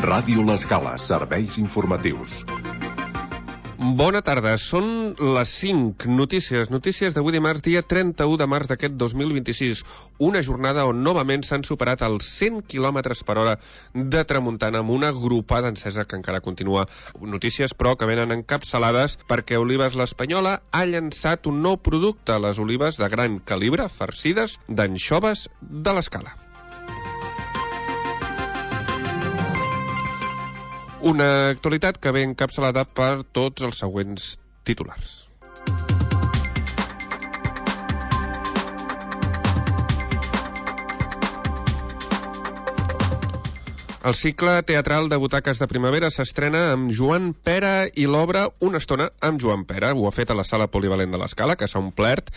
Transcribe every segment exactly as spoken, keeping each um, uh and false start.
Ràdio L'Escala, serveis informatius. Bona tarda, són les cinc. Notícies, notícies d'avui dimarts, dia trenta-u de març d'aquest dos mil vint-i-sis. Una jornada on novament s'han superat els cent quilòmetres per hora de tramuntana amb una gropada encesa que encara continua. Notícies, però, que venen encapçalades perquè Olives l'Espanyola ha llançat un nou producte, les olives de gran calibre farcides d'anxoves de l'Escala. Una actualitat que ve encapçalada per tots els següents titulars. El cicle teatral de butaques de primavera s'estrena amb Joan Pera i l'obra Una estona amb Joan Pera. Ho ha fet a la sala polivalent de l'Escala, que s'ha omplert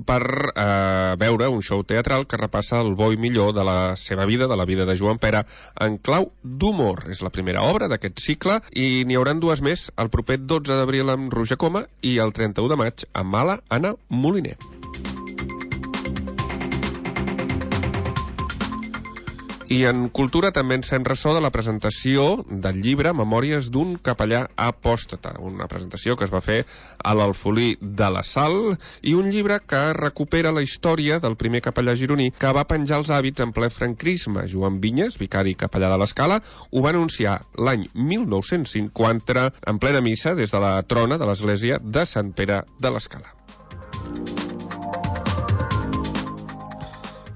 per eh, veure un show teatral que repassa el bo i millor de la seva vida, de la vida de Joan Pera, en clau d'humor. És la primera obra d'aquest cicle i n'hi hauran dues més, el proper dotze d'abril amb Roger Coma i el trenta-u de maig amb Mala Anna Moliner. I en cultura també ens fem ressò de la presentació del llibre Memòries d'un capellà apòstata, una presentació que es va fer a l'Alfolí de la Sal, i un llibre que recupera la història del primer capellà gironí que va penjar els hàbits en ple franquisme. Joan Vinyes, vicari capellà de l'Escala, ho va anunciar l'any mil nou-cents cinquanta en plena missa des de la trona de l'església de Sant Pere de l'Escala.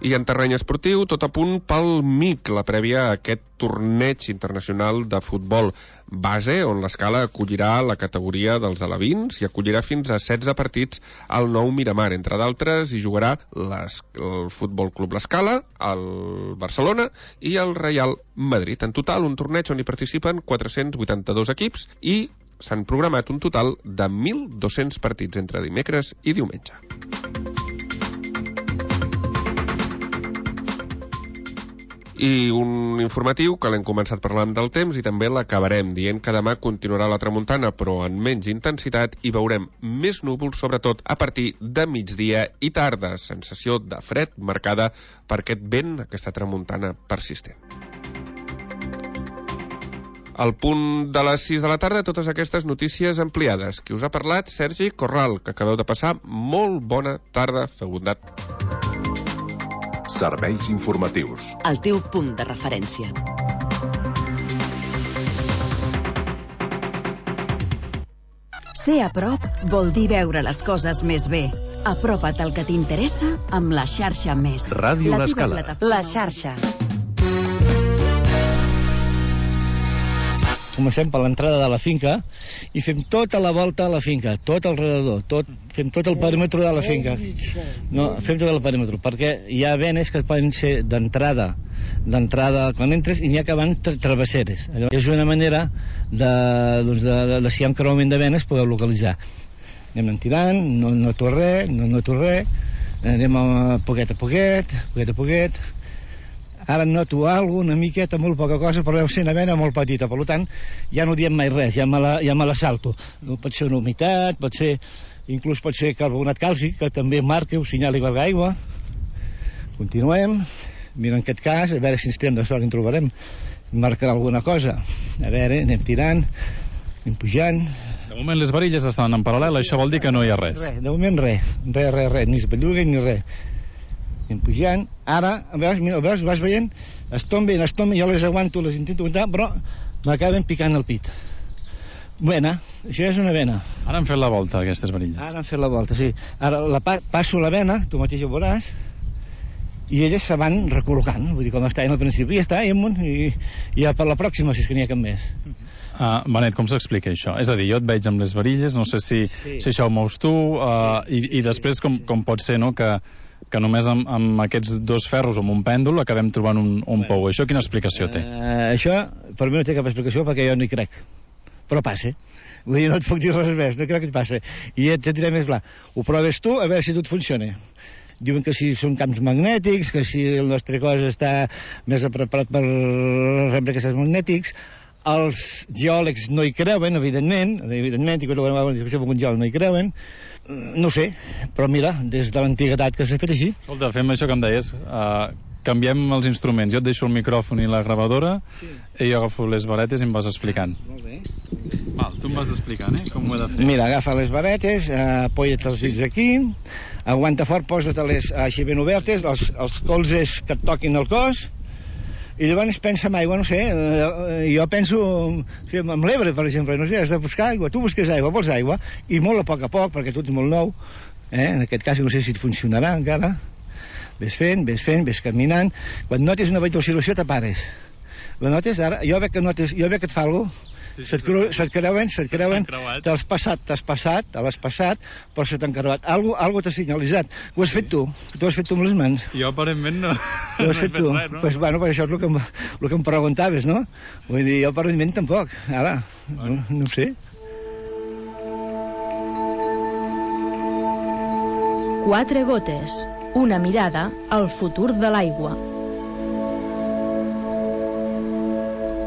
I en terreny esportiu, tot a punt pel M I C, la prèvia a aquest torneig internacional de futbol base, on l'Escala acollirà la categoria dels alevins i acollirà fins a setze partits al nou Miramar. Entre d'altres, hi jugarà les, el Futbol Club l'Escala, el Barcelona i el Real Madrid. En total, un torneig on hi participen quatre-cents vuitanta-dos equips i s'han programat un total de mil dos-cents partits entre dimecres i diumenge. I un informatiu que l'hem començat parlant del temps i també l'acabarem dient que demà continuarà la tramuntana, però en menys intensitat, i veurem més núvols, sobretot a partir de migdia i tarda. Sensació de fred marcada per aquest vent, aquesta tramuntana persistent. Al punt de les sis de la tarda, totes aquestes notícies ampliades. Qui us ha parlat? Sergi Corral, que acabeu de passar molt bona tarda, feu bondat. Serveis informatius. El teu punt de referència. Ser a prop vol dir veure les coses més bé. Apropa't al que t'interessa amb la xarxa Més. Ràdio L'Escala. La xarxa. Comencem per l'entrada de la finca i fem tota la volta a la finca, tot alrededor, tot, fem tot el perímetre de la finca. No, fem tot el perímetre, perquè hi ha venes que poden ser d'entrada, d'entrada quan entres, i n'hi ha que van tra travesseres. Allò és una manera de, doncs de, de, de si hi ha un creuament de venes podeu localitzar. Anem tirant, no noto res, no noto res, anem a poquet a poquet, poquet a poquet. Ara noto alguna una miqueta, molt poca cosa, però deu ser una vena molt petita, per tant, ja no diem mai res, ja me la, ja me la salto. No, pot ser una humitat, pot ser, inclús pot ser carbonat càlcic, que també marca un senyal igual d'aigua. Continuem, mira en aquest cas, a veure si ens tenen de sort, en trobarem, marcarà alguna cosa. A veure, anem tirant, anem pujant. De moment les varilles estan en paral·lel, això vol dir que no hi ha res. Res, de moment res, res, res, res, ni es belluguen ni res. Anem pujant, ara, veus, mira, veus, vas veient, es tomben, es tomben, jo les aguanto, les intento aguantar, però m'acaben picant el pit. Vena, això és una vena. Ara han fet la volta, aquestes varilles. Ara han fet la volta, sí. Ara la pa passo la vena, tu mateix ho veuràs, i elles se van recol·locant, vull dir, com està al principi, ja està, i amunt, i, i ja per la pròxima, si és que n'hi ha cap més. Uh, Benet, com s'explica això? És a dir, jo et veig amb les varilles, no sé si, sí. si això ho mous tu, uh, i, i després com, com pot ser, no?, que que només amb, amb aquests dos ferros o amb un pèndol acabem trobant un, un bueno, pou. Això quina explicació té? Uh, això, per mi no té cap explicació perquè jo no hi crec. Però passa. Vull dir, no et puc dir res més, no crec que et passa. I et diré més clar. Ho proves tu, a veure si tot funciona. Diuen que si són camps magnètics, que si el nostre cos està més preparat per rebre aquests magnètics. Els geòlegs no hi creuen, evidentment, evidentment, i quan ho vam discussió amb un geòleg no hi creuen. No sé, però mira, des de l'antiguitat que s'ha fet així. Escolta, fem això que em deies, uh, canviem els instruments. Jo et deixo el micròfon i la gravadora, sí. I jo agafo les varetes i em vas explicant. Molt bé. Val, tu em vas explicant, eh? Com ho he de fer. Mira, agafa les varetes, eh, apoya't els dits aquí, aguanta fort, posa't-les així ben obertes, els, els colzes que et toquin el cos, i llavors pensa en aigua, no sé, eh, jo penso sí, amb l'Ebre, per exemple, no sé, has de buscar aigua, tu busques aigua, vols aigua, i molt a poc a poc, perquè tu ets molt nou, eh? En aquest cas no sé si et funcionarà encara, ves fent, ves fent, ves caminant, quan notes una oscil·lació te pares, la notes ara, jo veig que, notes, jo veig que et fa alguna cosa, sí, sí, se't, creu, se't creuen, se't creuen, t'has passat, t'has passat, te l'has passat, però se t'han creuat. Algo, algo t'ha senyalitzat. Ho has sí. fet tu, tu has fet tu amb les mans. Jo aparentment no. Ho has fet tu. Res, no? Pues, bueno, pues això és el que, em, el que em preguntaves, no? Vull dir, jo aparentment tampoc. Ara, bueno. no, no ho sé. Quatre gotes. Una mirada al futur de l'aigua.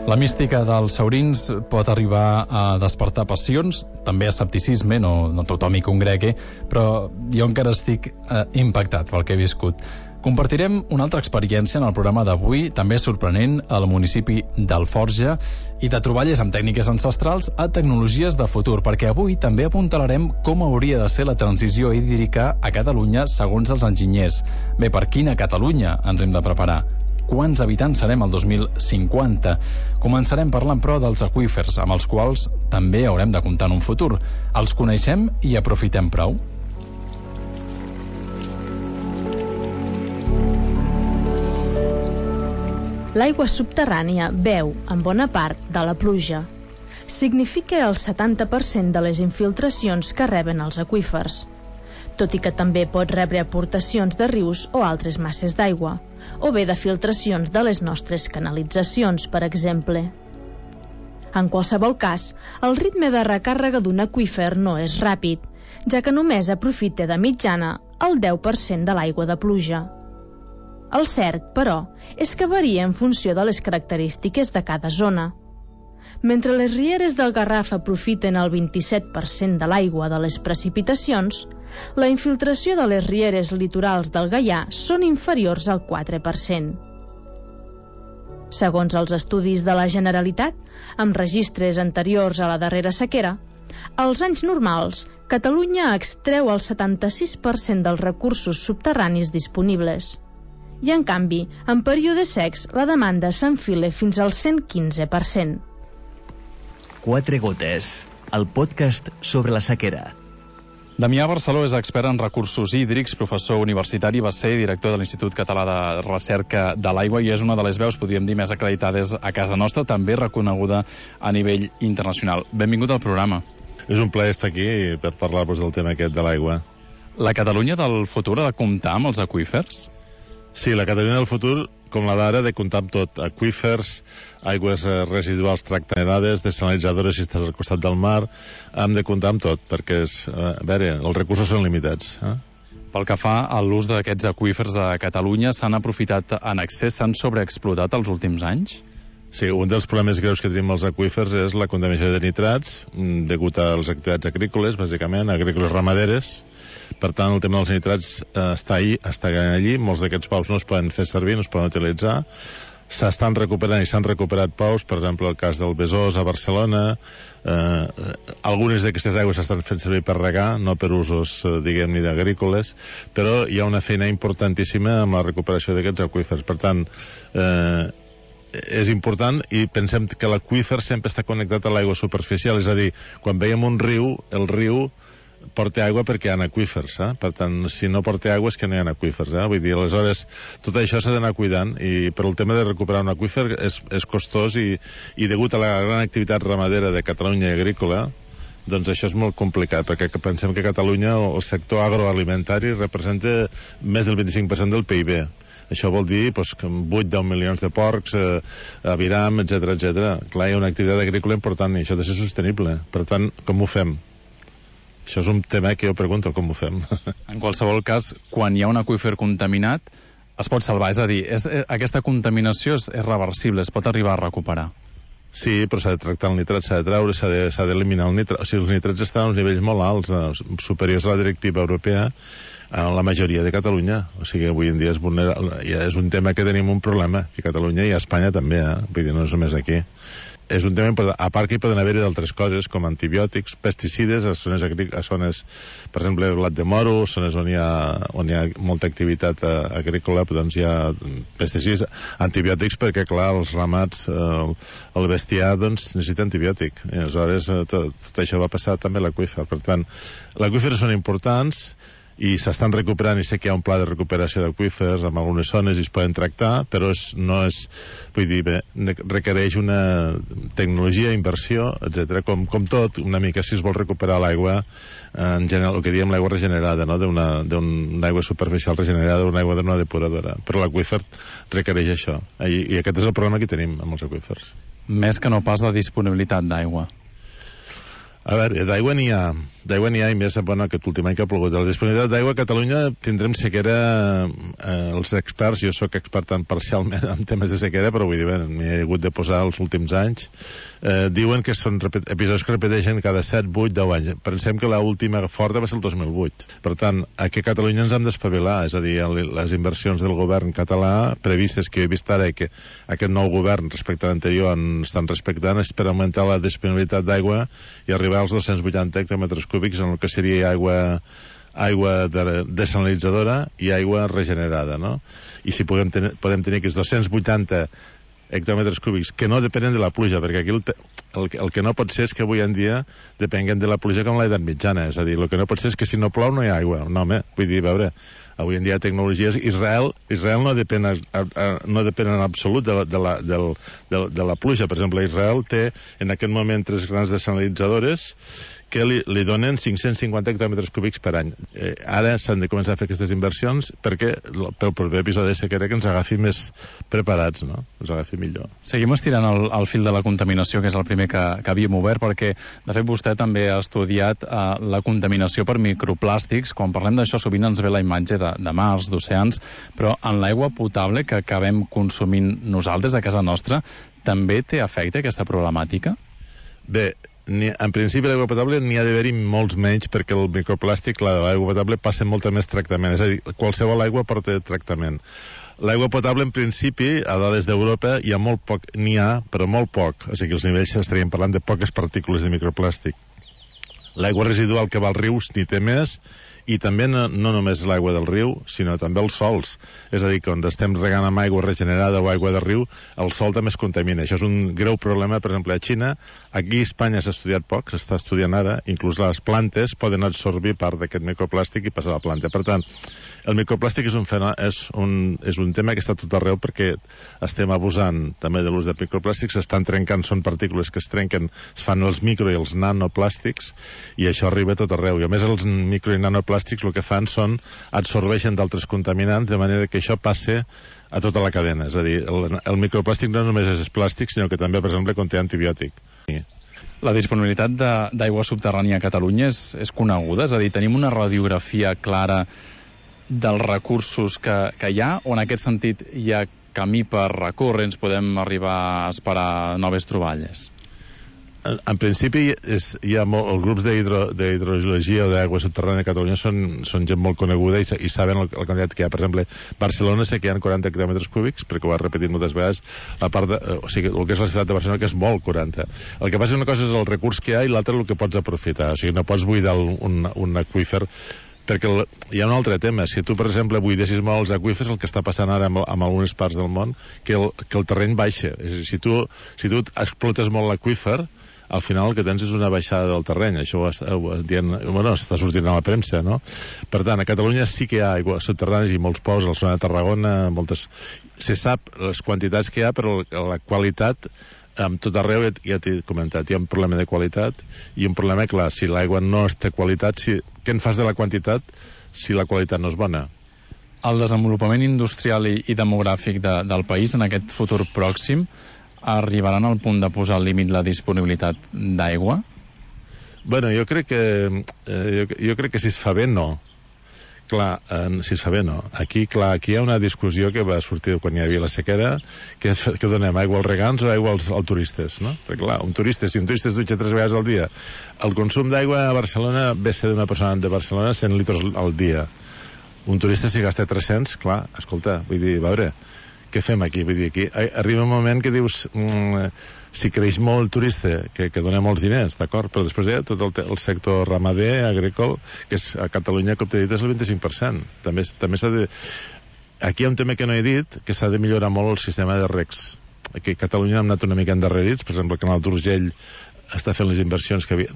La mística dels saurins pot arribar a despertar passions, també escepticisme, no, no tothom hi congregui, però jo encara estic eh, impactat pel que he viscut. Compartirem una altra experiència en el programa d'avui, també sorprenent, al municipi d'Alforja, i de troballes amb tècniques ancestrals a tecnologies de futur, perquè avui també apuntalarem com hauria de ser la transició hídrica a Catalunya segons els enginyers. Bé, per quina Catalunya ens hem de preparar? Quants habitants serem el dos mil cinquanta? Començarem parlant, però, dels aqüífers, amb els quals també haurem de comptar en un futur. Els coneixem i aprofitem prou? L'aigua subterrània beu en bona part de la pluja. Significa el setanta per cent de les infiltracions que reben els aqüífers, tot i que també pot rebre aportacions de rius o altres masses d'aigua, o bé de filtracions de les nostres canalitzacions, per exemple. En qualsevol cas, el ritme de recàrrega d'un aqüífer no és ràpid, ja que només aprofita de mitjana el deu per cent de l'aigua de pluja. El cert, però, és que varia en funció de les característiques de cada zona. Mentre les rieres del Garraf aprofiten el vint-i-set per cent de l'aigua de les precipitacions, la infiltració de les rieres litorals del Gaià són inferiors al quatre per cent. Segons els estudis de la Generalitat, amb registres anteriors a la darrera sequera, als anys normals, Catalunya extreu el setanta-sis per cent dels recursos subterranis disponibles. I, en canvi, en períodes secs, la demanda s'enfila fins al cent quinze per cent. Quatre gotes, el podcast sobre la sequera. Damià Barceló és expert en recursos hídrics, professor universitari, va ser director de l'Institut Català de Recerca de l'Aigua i és una de les veus, podríem dir, més acreditades a casa nostra, també reconeguda a nivell internacional. Benvingut al programa. És un plaer estar aquí per parlar-vos del tema aquest de l'aigua. La Catalunya del futur ha de comptar amb els aqüífers? Sí, la Catalunya del futur, com la d'ara, ha de comptar amb tot. Aqüífers, aigües residuals tractades, desalinitzadores si estàs al costat del mar, hem de comptar amb tot, perquè és, a veure, els recursos són limitats. Eh? Pel que fa a l'ús d'aquests aqüífers a Catalunya, s'han aprofitat en excés, s'han sobreexplotat els últims anys? Sí, un dels problemes greus que tenim els aqüífers és la contaminació de nitrats, degut a les activitats agrícoles, bàsicament, agrícoles ramaderes. Per tant, el tema dels nitrats eh, està, ahí, està allí, molts d'aquests pous no es poden fer servir, no es poden utilitzar. S'estan recuperant i s'han recuperat pous, per exemple, el cas del Besòs a Barcelona. Eh, algunes d'aquestes aigües s'estan fent servir per regar, no per usos, eh, diguem-ne, agrícoles, però hi ha una feina importantíssima amb la recuperació d'aquests aqüífers. Per tant, eh, és important i pensem que l'aqüífer sempre està connectat a l'aigua superficial, és a dir, quan veiem un riu, el riu porta aigua perquè hi ha aqüífers, eh? Per tant, si no porta aigua és que no hi ha aqüífers, eh? Vull dir, aleshores, tot això s'ha d'anar cuidant i per el tema de recuperar un aqüífer és, és costós i, i degut a la gran activitat ramadera de Catalunya i agrícola, doncs això és molt complicat, perquè pensem que Catalunya, el sector agroalimentari, representa més del vint-i-cinc per cent del P I B. Això vol dir doncs, que vuit a deu milions de porcs, eh, aviram, etcètera, etcètera. Clar, hi ha una activitat agrícola important i això ha de ser sostenible. Per tant, com ho fem? Això és un tema que jo pregunto, com ho fem? En qualsevol cas, quan hi ha un aqüífer contaminat, es pot salvar. És a dir, és, aquesta contaminació és, és reversible, es pot arribar a recuperar. Sí, però s'ha de tractar el nitrat, s'ha de treure, s'ha d'eliminar el nitrat. O sigui, els nitrats estan a uns nivells molt alts, eh, superiors a la directiva europea. en la majoria de Catalunya. O sigui, avui en dia és, vulnerable, ja és un tema que tenim un problema, que Catalunya i a Espanya també, eh? Vull dir, no és només aquí. És un tema important. A part que hi poden haver-hi d'altres coses, com antibiòtics, pesticides, a zones, a zones, per exemple, blat de moro, zones on hi ha, on hi ha molta activitat agrícola, doncs hi ha pesticides, antibiòtics, perquè, clar, els ramats, el, el bestiar, doncs, necessita antibiòtic. I aleshores, tot, tot això va passar també a l'aqüífer. Per tant, l'aqüífer són importants, i s'estan recuperant, i sé que hi ha un pla de recuperació d'aqüífers en algunes zones i es poden tractar, però és, no és, vull dir, bé, requereix una tecnologia, inversió, etcètera. Com, com tot, una mica si es vol recuperar l'aigua, en general, el que diem l'aigua regenerada, no? d'una un aigua superficial regenerada, una aigua d'una depuradora. Però l'aqüífer requereix això, I, i aquest és el problema que tenim amb els aqüífers. Més que no pas la disponibilitat d'aigua. A veure, d'aigua n'hi ha, d'aigua n'hi ha i més, bueno, aquest últim any que ha plogut. La disponibilitat d'aigua a Catalunya tindrem sequera, eh, els experts, jo sóc expert tan parcialment en temes de sequera, però vull dir, bé, m'hi he hagut de posar els últims anys, eh, diuen que són episodis que repeteixen cada set, vuit, deu anys. Pensem que l'última forta va ser el dos mil vuit. Per tant, aquí a Catalunya ens hem d'espavilar, és a dir, les inversions del govern català previstes que he vist ara i que aquest nou govern respecte a l'anterior estan respectant és per augmentar la disponibilitat d'aigua i arribar als dos-cents vuitanta hectòmetres cúbics en el que seria aigua, aigua de, desalinitzadora i aigua regenerada, no? I si podem, ten podem tenir aquests dos-cents vuitanta hectòmetres cúbics que no depenen de la pluja, perquè aquí el, el, el que no pot ser és que avui en dia depenguen de la pluja com l'edat mitjana, és a dir, el que no pot ser és que si no plou no hi ha aigua. No, home, vull dir, a veure, avui en dia hi ha tecnologies. Israel, Israel no depèn, a, a, no depèn en absolut de la, de, la, de, de, de la pluja. Per exemple, Israel té en aquest moment tres grans desalinitzadores que li, li donen cinc-cents cinquanta hectòmetres cúbics per any. Eh, ara s'han de començar a fer aquestes inversions perquè pel proper episodi de sequera que ens agafi més preparats, no? Ens agafi millor. Seguim estirant el, el fil de la contaminació, que és el primer que, que havíem obert, perquè, de fet, vostè també ha estudiat eh, la contaminació per microplàstics. Quan parlem d'això, sovint ens ve la imatge de, de mars, d'oceans, però en l'aigua potable que acabem consumint nosaltres a casa nostra, també té efecte aquesta problemàtica? Bé, Ni, en principi l'aigua potable n'hi ha d'haver-hi molts menys perquè el microplàstic, l'aigua potable, passa molta més tractament, és a dir, qualsevol aigua porta tractament. L'aigua potable, en principi, a dades d'Europa, hi ha molt poc, n'hi ha, però molt poc, o sigui, els nivells estaríem parlant de poques partícules de microplàstic. L'aigua residual que va als rius n'hi té més, i també no, no només l'aigua del riu, sinó també els sols. És a dir, que on estem regant amb aigua regenerada o aigua de riu, el sol també es contamina. Això és un greu problema, per exemple, a Xina. Aquí a Espanya s'ha estudiat poc, s'està estudiant ara, inclús les plantes poden absorbir part d'aquest microplàstic i passar a la planta. Per tant, el microplàstic és un, és un, és un tema que està tot arreu perquè estem abusant també de l'ús de microplàstics, s'estan trencant, són partícules que es trenquen, es fan els micro i els nanoplàstics, i això arriba tot arreu. I a més els micro i nanoplàstics el que fan són absorbeixen d'altres contaminants, de manera que això passe a tota la cadena. És a dir, el, el microplàstic no només és plàstic, sinó que també, per exemple, conté antibiòtic. La disponibilitat d'aigua subterrània a Catalunya és, és coneguda? És a dir, tenim una radiografia clara dels recursos que, que hi ha, o en aquest sentit hi ha camí per recórrer, ens podem arribar a esperar noves troballes? En, en principi és, hi ha molt, els grups d'hidrogeologia o d'aigua subterrània a Catalunya són, són gent molt coneguda i, i saben el, el quantitat que hi ha. Per exemple, Barcelona sé que hi ha quaranta hectòmetres cúbics, perquè ho ha repetit moltes vegades, la part de, o sigui, el que és la ciutat de Barcelona, que és molt, quaranta. El que passa és una cosa és el recurs que hi ha i l'altra el que pots aprofitar. O sigui, no pots buidar un, un aqüífer, perquè el, hi ha un altre tema. Si tu, per exemple, buidessis molt els aqüífers, el que està passant ara en, en algunes parts del món, que el, que el terreny baixa. És a dir, si tu, si tu explotes molt l'aqüífer, al final el que tens és una baixada del terreny. Això ho, ho, dient, bueno, està sortint a la premsa, no? Per tant, a Catalunya sí que hi ha aigua subterrània i molts pous, a la zona de Tarragona, moltes... Se sap les quantitats que hi ha, però la qualitat, amb tot arreu, ja, ja t'he comentat, hi ha un problema de qualitat i un problema, clar, si l'aigua no té qualitat, si, què en fas de la quantitat si la qualitat no és bona? El desenvolupament industrial i, i demogràfic de, del país en aquest futur pròxim arribaran al punt de posar al límit la disponibilitat d'aigua? Bueno, jo crec que eh, jo, jo crec que si es fa bé, no. Clar, eh, si es fa bé, no. Aquí, clar, aquí hi ha una discussió que va sortir quan hi havia la sequera, que, que donem aigua als regants o aigua als, als turistes, no? Perquè, clar, un turista, si un turista es dutxa tres vegades al dia, el consum d'aigua a Barcelona ve ser d'una persona de Barcelona cent litres al dia. Un turista, si gasta tres-cents, clar, escolta, vull dir, a veure, què fem aquí? Vull dir, aquí arriba un moment que dius, mm, si creix molt el turista, que, que dona molts diners, d'acord, però després hi ha tot el, el sector ramader, agrícola, que és, a Catalunya, com t'he dit, és el vint-i-cinc per cent. També, també s'ha de... Aquí hi ha un tema que no he dit, que s'ha de millorar molt el sistema de recs. Aquí a Catalunya hem anat una mica endarrerits, per exemple, el canal d'Urgell està fent les inversions que havia,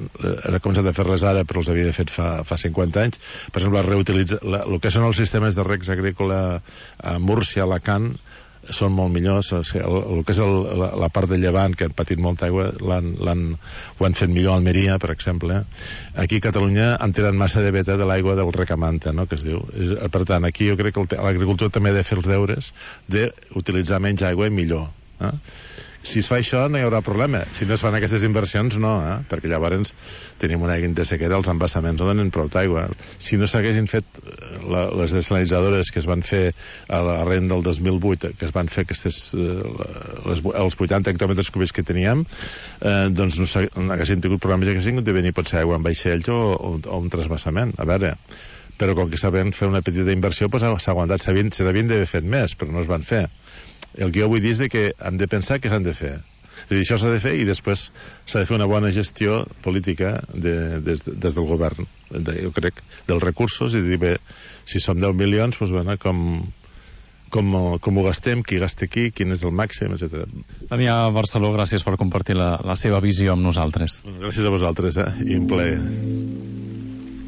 ha començat a fer-les ara, però els havia fet fa, fa cinquanta anys. Per exemple, reutilitzar el que són els sistemes de recs agrícola a Múrcia, a Alacant, són molt millors. O sigui, el, el que és el, la, la part de Llevant, que han patit molta aigua, l'han, l'han, ho han fet millor a Almeria, per exemple. Aquí a Catalunya han tirat massa de veta de l'aigua del recamanta, no?, que es diu. Per tant, aquí jo crec que l'agricultura també ha de fer els deures d'utilitzar menys aigua i millor. Eh? Si es fa això no hi haurà problema. Si no es fan aquestes inversions, no, eh? Perquè llavors tenim una de sequera, els embassaments no donen prou d'aigua. Si no s'haguessin fet la, les desalinitzadores que es van fer a l'arrent del dos mil vuit, que es van fer aquestes, les, els vuitanta hectòmetres cúbics que teníem, eh, doncs no, no haguessin tingut problemes, que haguessin de venir potser aigua en vaixells o, o, o un transbassament. A veure, però com que sabem fer una petita inversió, doncs s'ha aguantat, s'havien d'haver fet més, però no es van fer. El que jo vull dir és que han de pensar què s'han de fer. És a dir, això s'ha de fer i després s'ha de fer una bona gestió política de, des, des del govern, de, jo crec, dels recursos, i dir, bé, si som deu milions, doncs, bueno, com, com, com ho gastem, qui gasta aquí, quin és el màxim, etcètera. Damià Barceló, gràcies per compartir la, la seva visió amb nosaltres. Gràcies a vosaltres, eh? I un plaer.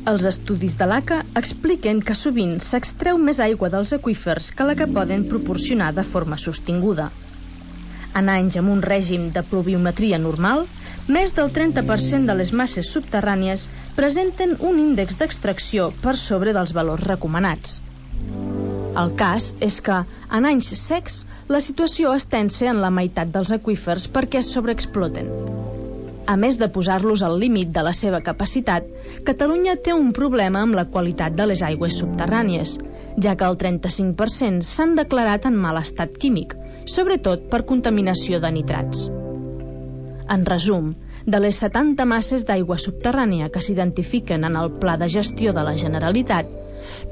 Els estudis de l'A C A expliquen que sovint s'extreu més aigua dels aqüífers que la que poden proporcionar de forma sostinguda. En anys amb un règim de pluviometria normal, més del trenta per cent de les masses subterrànies presenten un índex d'extracció per sobre dels valors recomanats. El cas és que, en anys secs, la situació es tensa en la meitat dels aqüífers perquè es sobreexploten. A més de posar-los al límit de la seva capacitat, Catalunya té un problema amb la qualitat de les aigües subterrànies, ja que el trenta-cinc per cent s'han declarat en mal estat químic, sobretot per contaminació de nitrats. En resum, de les setanta masses d'aigua subterrània que s'identifiquen en el Pla de Gestió de la Generalitat,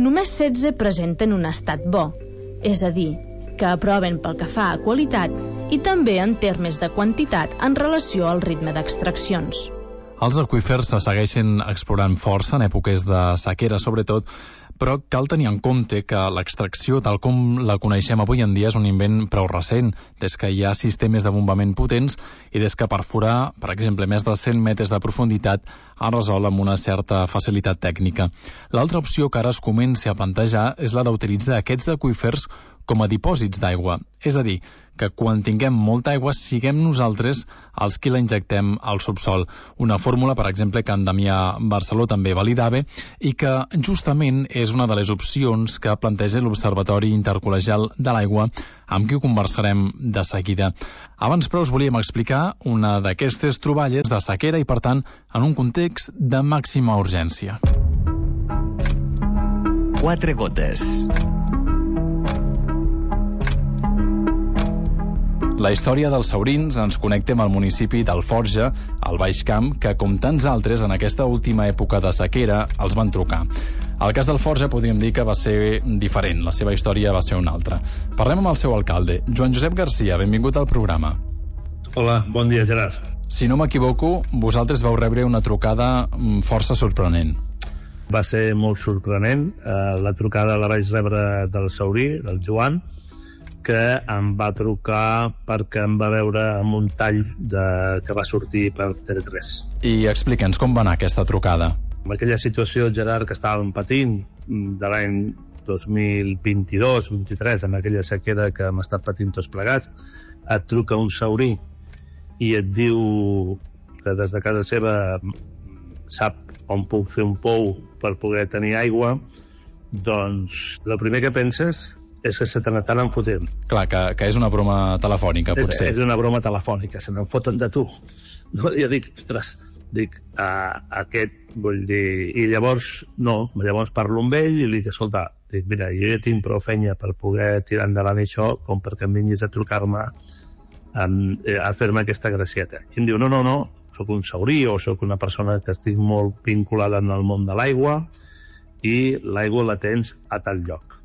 només setze presenten un estat bo, és a dir, que aproven pel que fa a qualitat i també en termes de quantitat en relació al ritme d'extraccions. Els aqüífers se segueixen explorant força en èpoques de sequera, sobretot, però cal tenir en compte que l'extracció, tal com la coneixem avui en dia, és un invent prou recent, des que hi ha sistemes de bombament potents i des que perforar, per exemple, més de cent metres de profunditat es resol amb una certa facilitat tècnica. L'altra opció que ara es comença a plantejar és la d'utilitzar aquests aqüífers com a dipòsits d'aigua, és a dir, que quan tinguem molta aigua siguem nosaltres els qui la injectem al subsol. Una fórmula, per exemple, que en Damià Barceló també validava i que justament és una de les opcions que planteja l'Observatori Intercol·legial de l'Aigua, amb qui ho conversarem de seguida. Abans, però, us volíem explicar una d'aquestes troballes de sequera i, per tant, en un context de màxima urgència. Quatre gotes. La història dels saurins ens connecta amb el municipi d'Alforja, al Baix Camp, que, com tants altres, en aquesta última època de sequera, els van trucar. El cas d'Alforja podríem dir que va ser diferent, la seva història va ser una altra. Parlem amb el seu alcalde, Joan Josep Garcia, benvingut al programa. Hola, bon dia, Gerard. Si no m'equivoco, vosaltres vau rebre una trucada força sorprenent. Va ser molt sorprenent. La trucada la vaig rebre del saurí, del Joan, que em va trucar perquè em va veure amb un tall de, que va sortir per T V tres. I explica'ns com va anar aquesta trucada. En aquella situació, Gerard, que estàvem patint de l'any dos mil vint-i-dos vint-i-tres, en aquella sequera que hem estat patint tots plegats, et truca un saurí i et diu que des de casa seva sap on puc fer un pou per poder tenir aigua, doncs el primer que penses és que se te n'estan fotent. Clar, que, que és una broma telefònica, potser. És, és una broma telefònica, se n'en foten de tu. No, jo dic, ostres, dic, uh, aquest, vull dir... I llavors, no, llavors parlo amb ell i li dic, escolta, dic, mira, jo ja tinc prou feina per poder tirar endavant això com perquè em vinguis a trucar-me um, a fer-me aquesta gracieta. I em diu, no, no, no, sóc un saurí o sóc una persona que estic molt vinculada en el món de l'aigua i l'aigua la tens a tal lloc.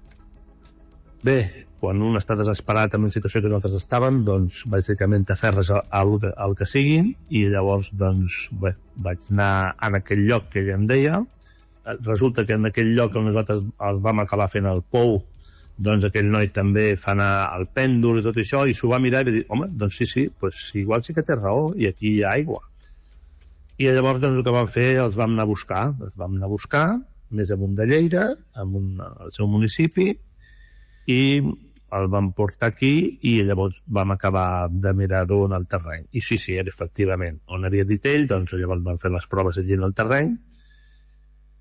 Bé, quan un està desesperat en la situació que nosaltres estàvem, doncs bàsicament t'aferres al, al que siguin, i llavors doncs bé, vaig anar en aquell lloc que ella em deia. Resulta que en aquell lloc on nosaltres el vam acabar fent el pou, doncs aquell noi també fa anar el pèndol i tot això, i s'ho va mirar i va dir, home, doncs sí, sí, pues, igual sí que té raó, i aquí hi ha aigua. I llavors doncs, el que vam fer, els vam anar a buscar, els vam anar a buscar, més amunt de Lleida, amunt al seu municipi, i el vam portar aquí i llavors vam acabar de mirar-ho en el terreny. I sí, sí, era efectivament on havia dit ell, doncs llavors vam fer les proves allí en el terreny,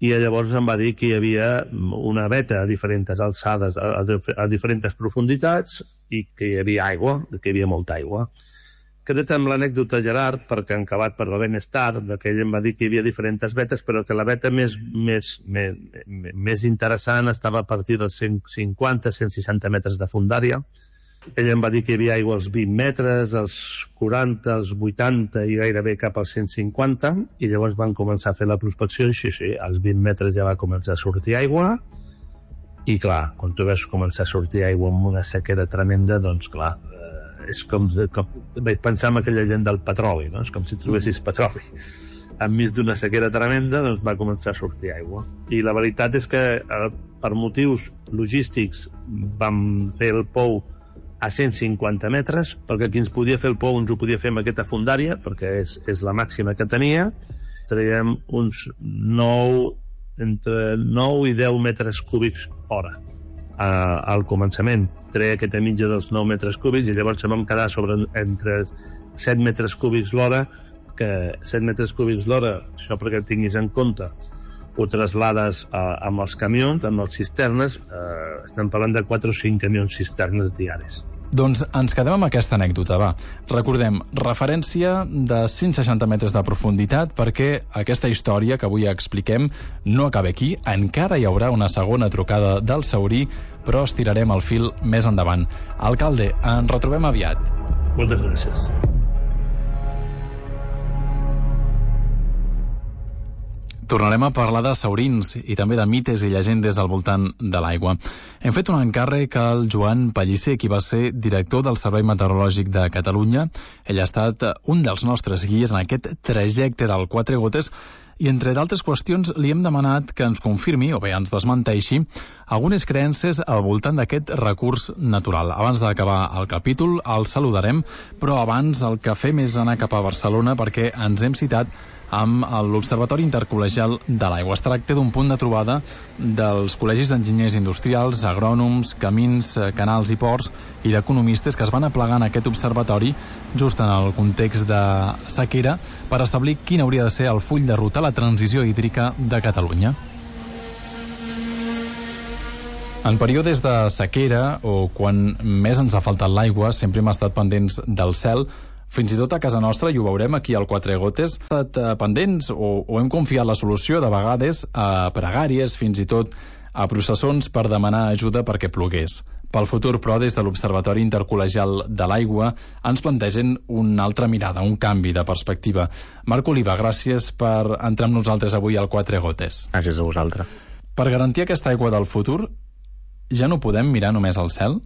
i llavors em va dir que hi havia una veta a diferents alçades, a, a diferents profunditats, i que hi havia aigua, que hi havia molta aigua. Queda't amb l'anècdota, Gerard, perquè en acabat per la ben tard, que ell em va dir que hi havia diferents vetes, però que la veta més, més, més, més interessant estava a partir dels cent cinquanta a cent seixanta metres de fondària. Ell em va dir que hi havia aigua als vint metres, als quaranta, als vuitanta i gairebé cap als cent cinquanta, i llavors van començar a fer la prospecció, i sí, sí, als vint metres ja va començar a sortir aigua, i clar, quan tu veus començar a sortir aigua amb una sequera tremenda, doncs clar, és com, com vaig pensar en aquella gent del petroli, no? És com si trobessis petroli. Enmig d'una sequera tremenda, doncs va començar a sortir aigua. I la veritat és que eh, per motius logístics vam fer el pou a cent cinquanta metres, perquè qui ens podia fer el pou ens ho podia fer amb aquesta fondària, perquè és, és la màxima que tenia. Traiem uns nou, entre nou i deu metres cúbics hora. Uh, al començament treia aquesta mitja dels nou metres cúbics, i llavors vam quedar sobre entre set metres cúbics l'hora, que set metres cúbics l'hora, això perquè tinguis en compte, ho traslades uh, amb els camions, amb les cisternes, uh, estem parlant de quatre o cinc camions cisternes diaris. Doncs ens quedem amb aquesta anècdota, va. Recordem, referència de cent seixanta metres de profunditat, perquè aquesta història que avui expliquem no acaba aquí, encara hi haurà una segona trucada del Saurí, però estirarem el fil més endavant. Alcalde, ens retrobem aviat. Moltes gràcies. Tornarem a parlar de saurins i també de mites i llegendes al voltant de l'aigua. Hem fet un encàrrec al Joan Pellicer, qui va ser director del Servei Meteorològic de Catalunya. Ell ha estat un dels nostres guies en aquest trajecte del Quatre Gotes, i entre d'altres qüestions li hem demanat que ens confirmi, o bé ens desmenteixi, algunes creences al voltant d'aquest recurs natural. Abans d'acabar el capítol el saludarem, però abans el que fem és anar cap a Barcelona, perquè ens hem citat amb l'Observatori Intercol·legial de l'Aigua. Es tracta d'un punt de trobada dels col·legis d'enginyers industrials, agrònoms, camins, canals i ports i d'economistes que es van aplegar en aquest observatori just en el context de sequera per establir quin hauria de ser el full de ruta a la transició hídrica de Catalunya. En períodes de sequera, o quan més ens ha faltat l'aigua, sempre hem estat pendents del cel. Fins i tot a casa nostra, i ho veurem aquí al Quatre Gotes, hem estat pendents o, o hem confiat la solució de vegades a pregàries, fins i tot a processons per demanar ajuda perquè plogués. Pel futur, però, des de l'Observatori Intercol·legial de l'Aigua ens plantegen una altra mirada, un canvi de perspectiva. Marc Oliva, gràcies per entrar amb nosaltres avui al Quatre Gotes. Gràcies a vosaltres. Per garantir aquesta aigua del futur, ja no podem mirar només al cel?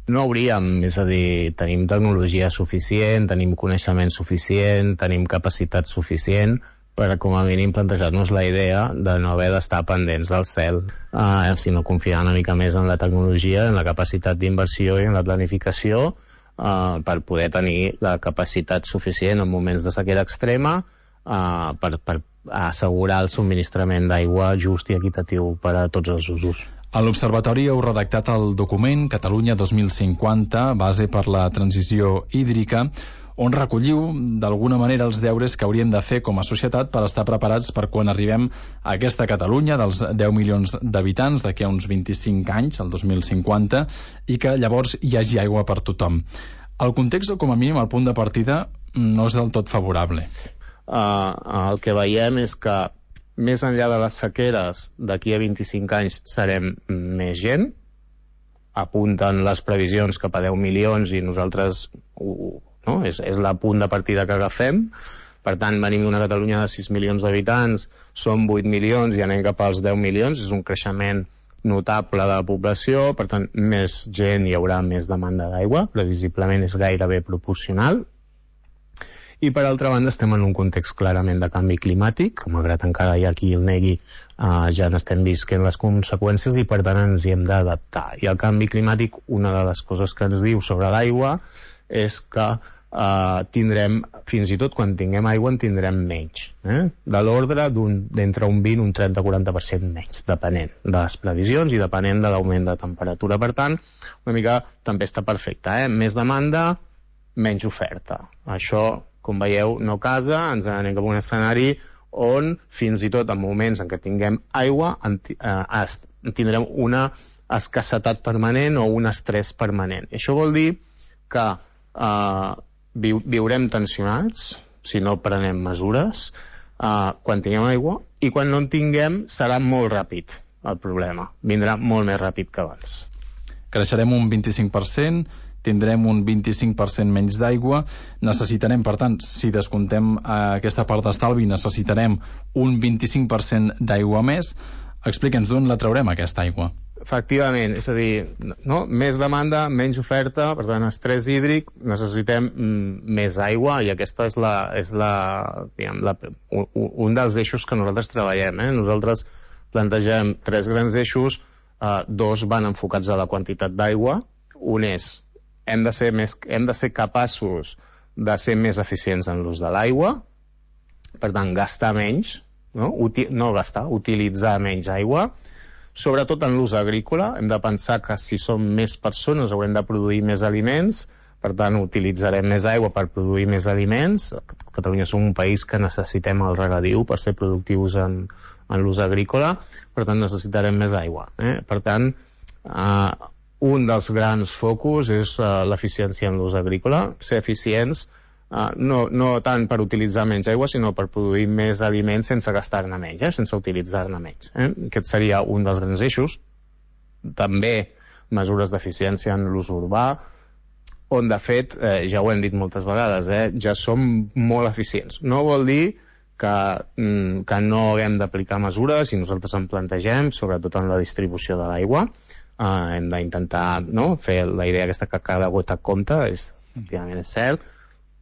No hauríem, és a dir, tenim tecnologia suficient, tenim coneixement suficient, tenim capacitat suficient per, com a mínim, plantejar-nos la idea de no haver d'estar pendents del cel, eh, sinó confiar una mica més en la tecnologia, en la capacitat d'inversió i en la planificació, eh, per poder tenir la capacitat suficient en moments de sequera extrema, eh, per, per assegurar el subministrament d'aigua just i equitatiu per a tots els usos. A l'Observatori heu redactat el document Catalunya dos mil cinquanta, base per la transició hídrica, on recolliu d'alguna manera els deures que hauríem de fer com a societat per estar preparats per quan arribem a aquesta Catalunya dels deu milions d'habitants d'aquí a uns vint-i-cinc anys, el dos mil cinquanta, i que llavors hi hagi aigua per tothom. El context, o com a mínim el punt de partida, no és del tot favorable. Uh, el que veiem és que més enllà de les sequeres, d'aquí a vint-i-cinc anys serem més gent, apunten les previsions cap a deu milions i nosaltres, uh, no? és, és la punt de partida que agafem, Per tant, venim d'una Catalunya de sis milions d'habitants, som vuit milions i anem cap als deu milions, és un creixement notable de la població, per tant, més gent hi haurà més demanda d'aigua, previsiblement és gairebé proporcional. I per altra banda estem en un context clarament de canvi climàtic, malgrat encara hi ha qui el negui, eh, ja n'estem visquent les conseqüències i per tant ens hi hem d'adaptar. I el canvi climàtic, una de les coses que ens diu sobre l'aigua és que Uh, tindrem, fins i tot quan tinguem aigua en tindrem menys, eh? de l'ordre d'entre un vint i un trenta a quaranta per cent menys, depenent de les previsions i depenent de l'augment de temperatura. Per tant, una mica tempesta perfecta, eh? Més demanda, menys oferta. Això, com veieu, no casa, ens anem cap a un escenari on fins i tot en moments en què tinguem aigua en, eh, tindrem una escassetat permanent o un estrès permanent. Això vol dir que eh, Viu, viurem tensionats si no prenem mesures uh, quan tinguem aigua, i quan no en tinguem serà molt ràpid el problema, vindrà molt més ràpid que abans. Creixerem un vint-i-cinc per cent, tindrem un vint-i-cinc per cent menys d'aigua, necessitarem, per tant, si descomptem uh, aquesta part d'estalvi, necessitarem un vint-i-cinc per cent d'aigua més. Explica'ns d'on la traurem, aquesta aigua. Efectivament, és a dir, no? Més demanda, menys oferta, per tant, estrès hídric, necessitem mm, més aigua, i aquesta és, la, és la, diguem, la, un, un dels eixos que nosaltres treballem. Eh? Nosaltres plantegem tres grans eixos, eh, dos van enfocats a la quantitat d'aigua, un és, hem de ser, més, hem de ser capaços de ser més eficients en l'ús de l'aigua, per tant, gastar menys, no, Uti, no gastar, utilitzar menys aigua, sobretot en l'ús agrícola. Hem de pensar que si som més persones haurem de produir més aliments, per tant utilitzarem més aigua per produir més aliments. Catalunya som un país que necessitem el regadiu per ser productius en, en l'ús agrícola, per tant necessitarem més aigua. Eh? Per tant, eh, un dels grans focus és eh, l'eficiència en l'ús agrícola, ser eficients Uh, no, no tant per utilitzar menys aigua, sinó per produir més aliments sense gastar-ne menys, eh? sense utilitzar-ne menys. Eh? Aquest seria un dels grans eixos. També mesures d'eficiència en l'ús urbà, on de fet, eh, ja ho hem dit moltes vegades, eh, ja som molt eficients. No vol dir que, mm, que no haguem d'aplicar mesures, i nosaltres en plantegem, sobretot en la distribució de l'aigua. Uh, hem d'intentar, no?, fer la idea aquesta que cada gota compta, és, efectivament és cert,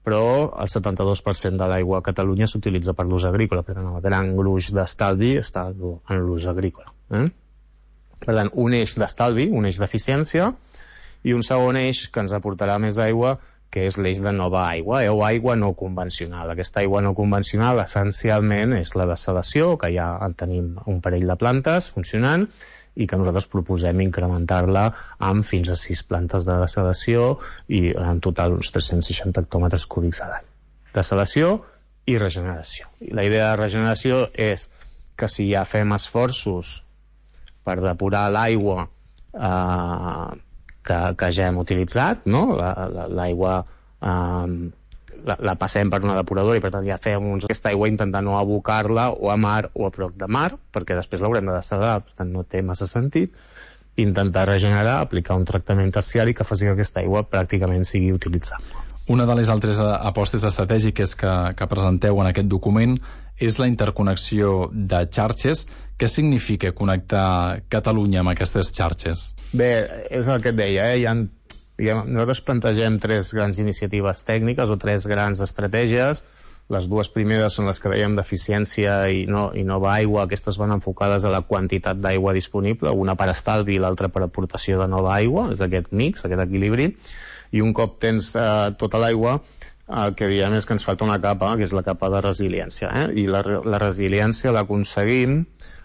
però el setanta-dos per cent de l'aigua a Catalunya s'utilitza per l'ús agrícola, per tant el gran gruix d'estalvi està en l'ús agrícola. Eh? Per tant, un eix d'estalvi, un eix d'eficiència, i un segon eix que ens aportarà més aigua, que és l'eix de nova aigua, eh? o aigua no convencional. Aquesta aigua no convencional essencialment és la desalació, que ja en tenim un parell de plantes funcionant, i que nosaltres proposem incrementar-la amb fins a sis plantes de desalació i en total uns tres-cents seixanta hectòmetres cúbics a l'any. Desalació i regeneració. I la idea de regeneració és que si ja fem esforços per depurar l'aigua eh, que, que ja hem utilitzat, no? l'aigua eh, la, la passem per una depuradora i per tant ja fem uns, aquesta aigua intentar no abocar-la o a mar o a prop de mar, perquè després l'haurem de dessalar, per tant no té massa sentit. Intentar regenerar, aplicar un tractament terciari que faci que aquesta aigua pràcticament sigui utilitzable. Una de les altres apostes estratègiques que, que presenteu en aquest document és la interconnexió de xarxes. Què significa connectar Catalunya amb aquestes xarxes? Bé, és el que et deia, eh? Hi ha Diguem, nosaltres plantegem tres grans iniciatives tècniques o tres grans estratègies. Les dues primeres són les que dèiem d'eficiència i, no, i nova aigua. Aquestes van enfocades a la quantitat d'aigua disponible, una per estalvi i l'altra per aportació de nova aigua, és aquest mix, aquest equilibri. I un cop tens eh, tota l'aigua, el que diem és que ens falta una capa, que és la capa de resiliència. Eh? I la, la resiliència l'aconseguim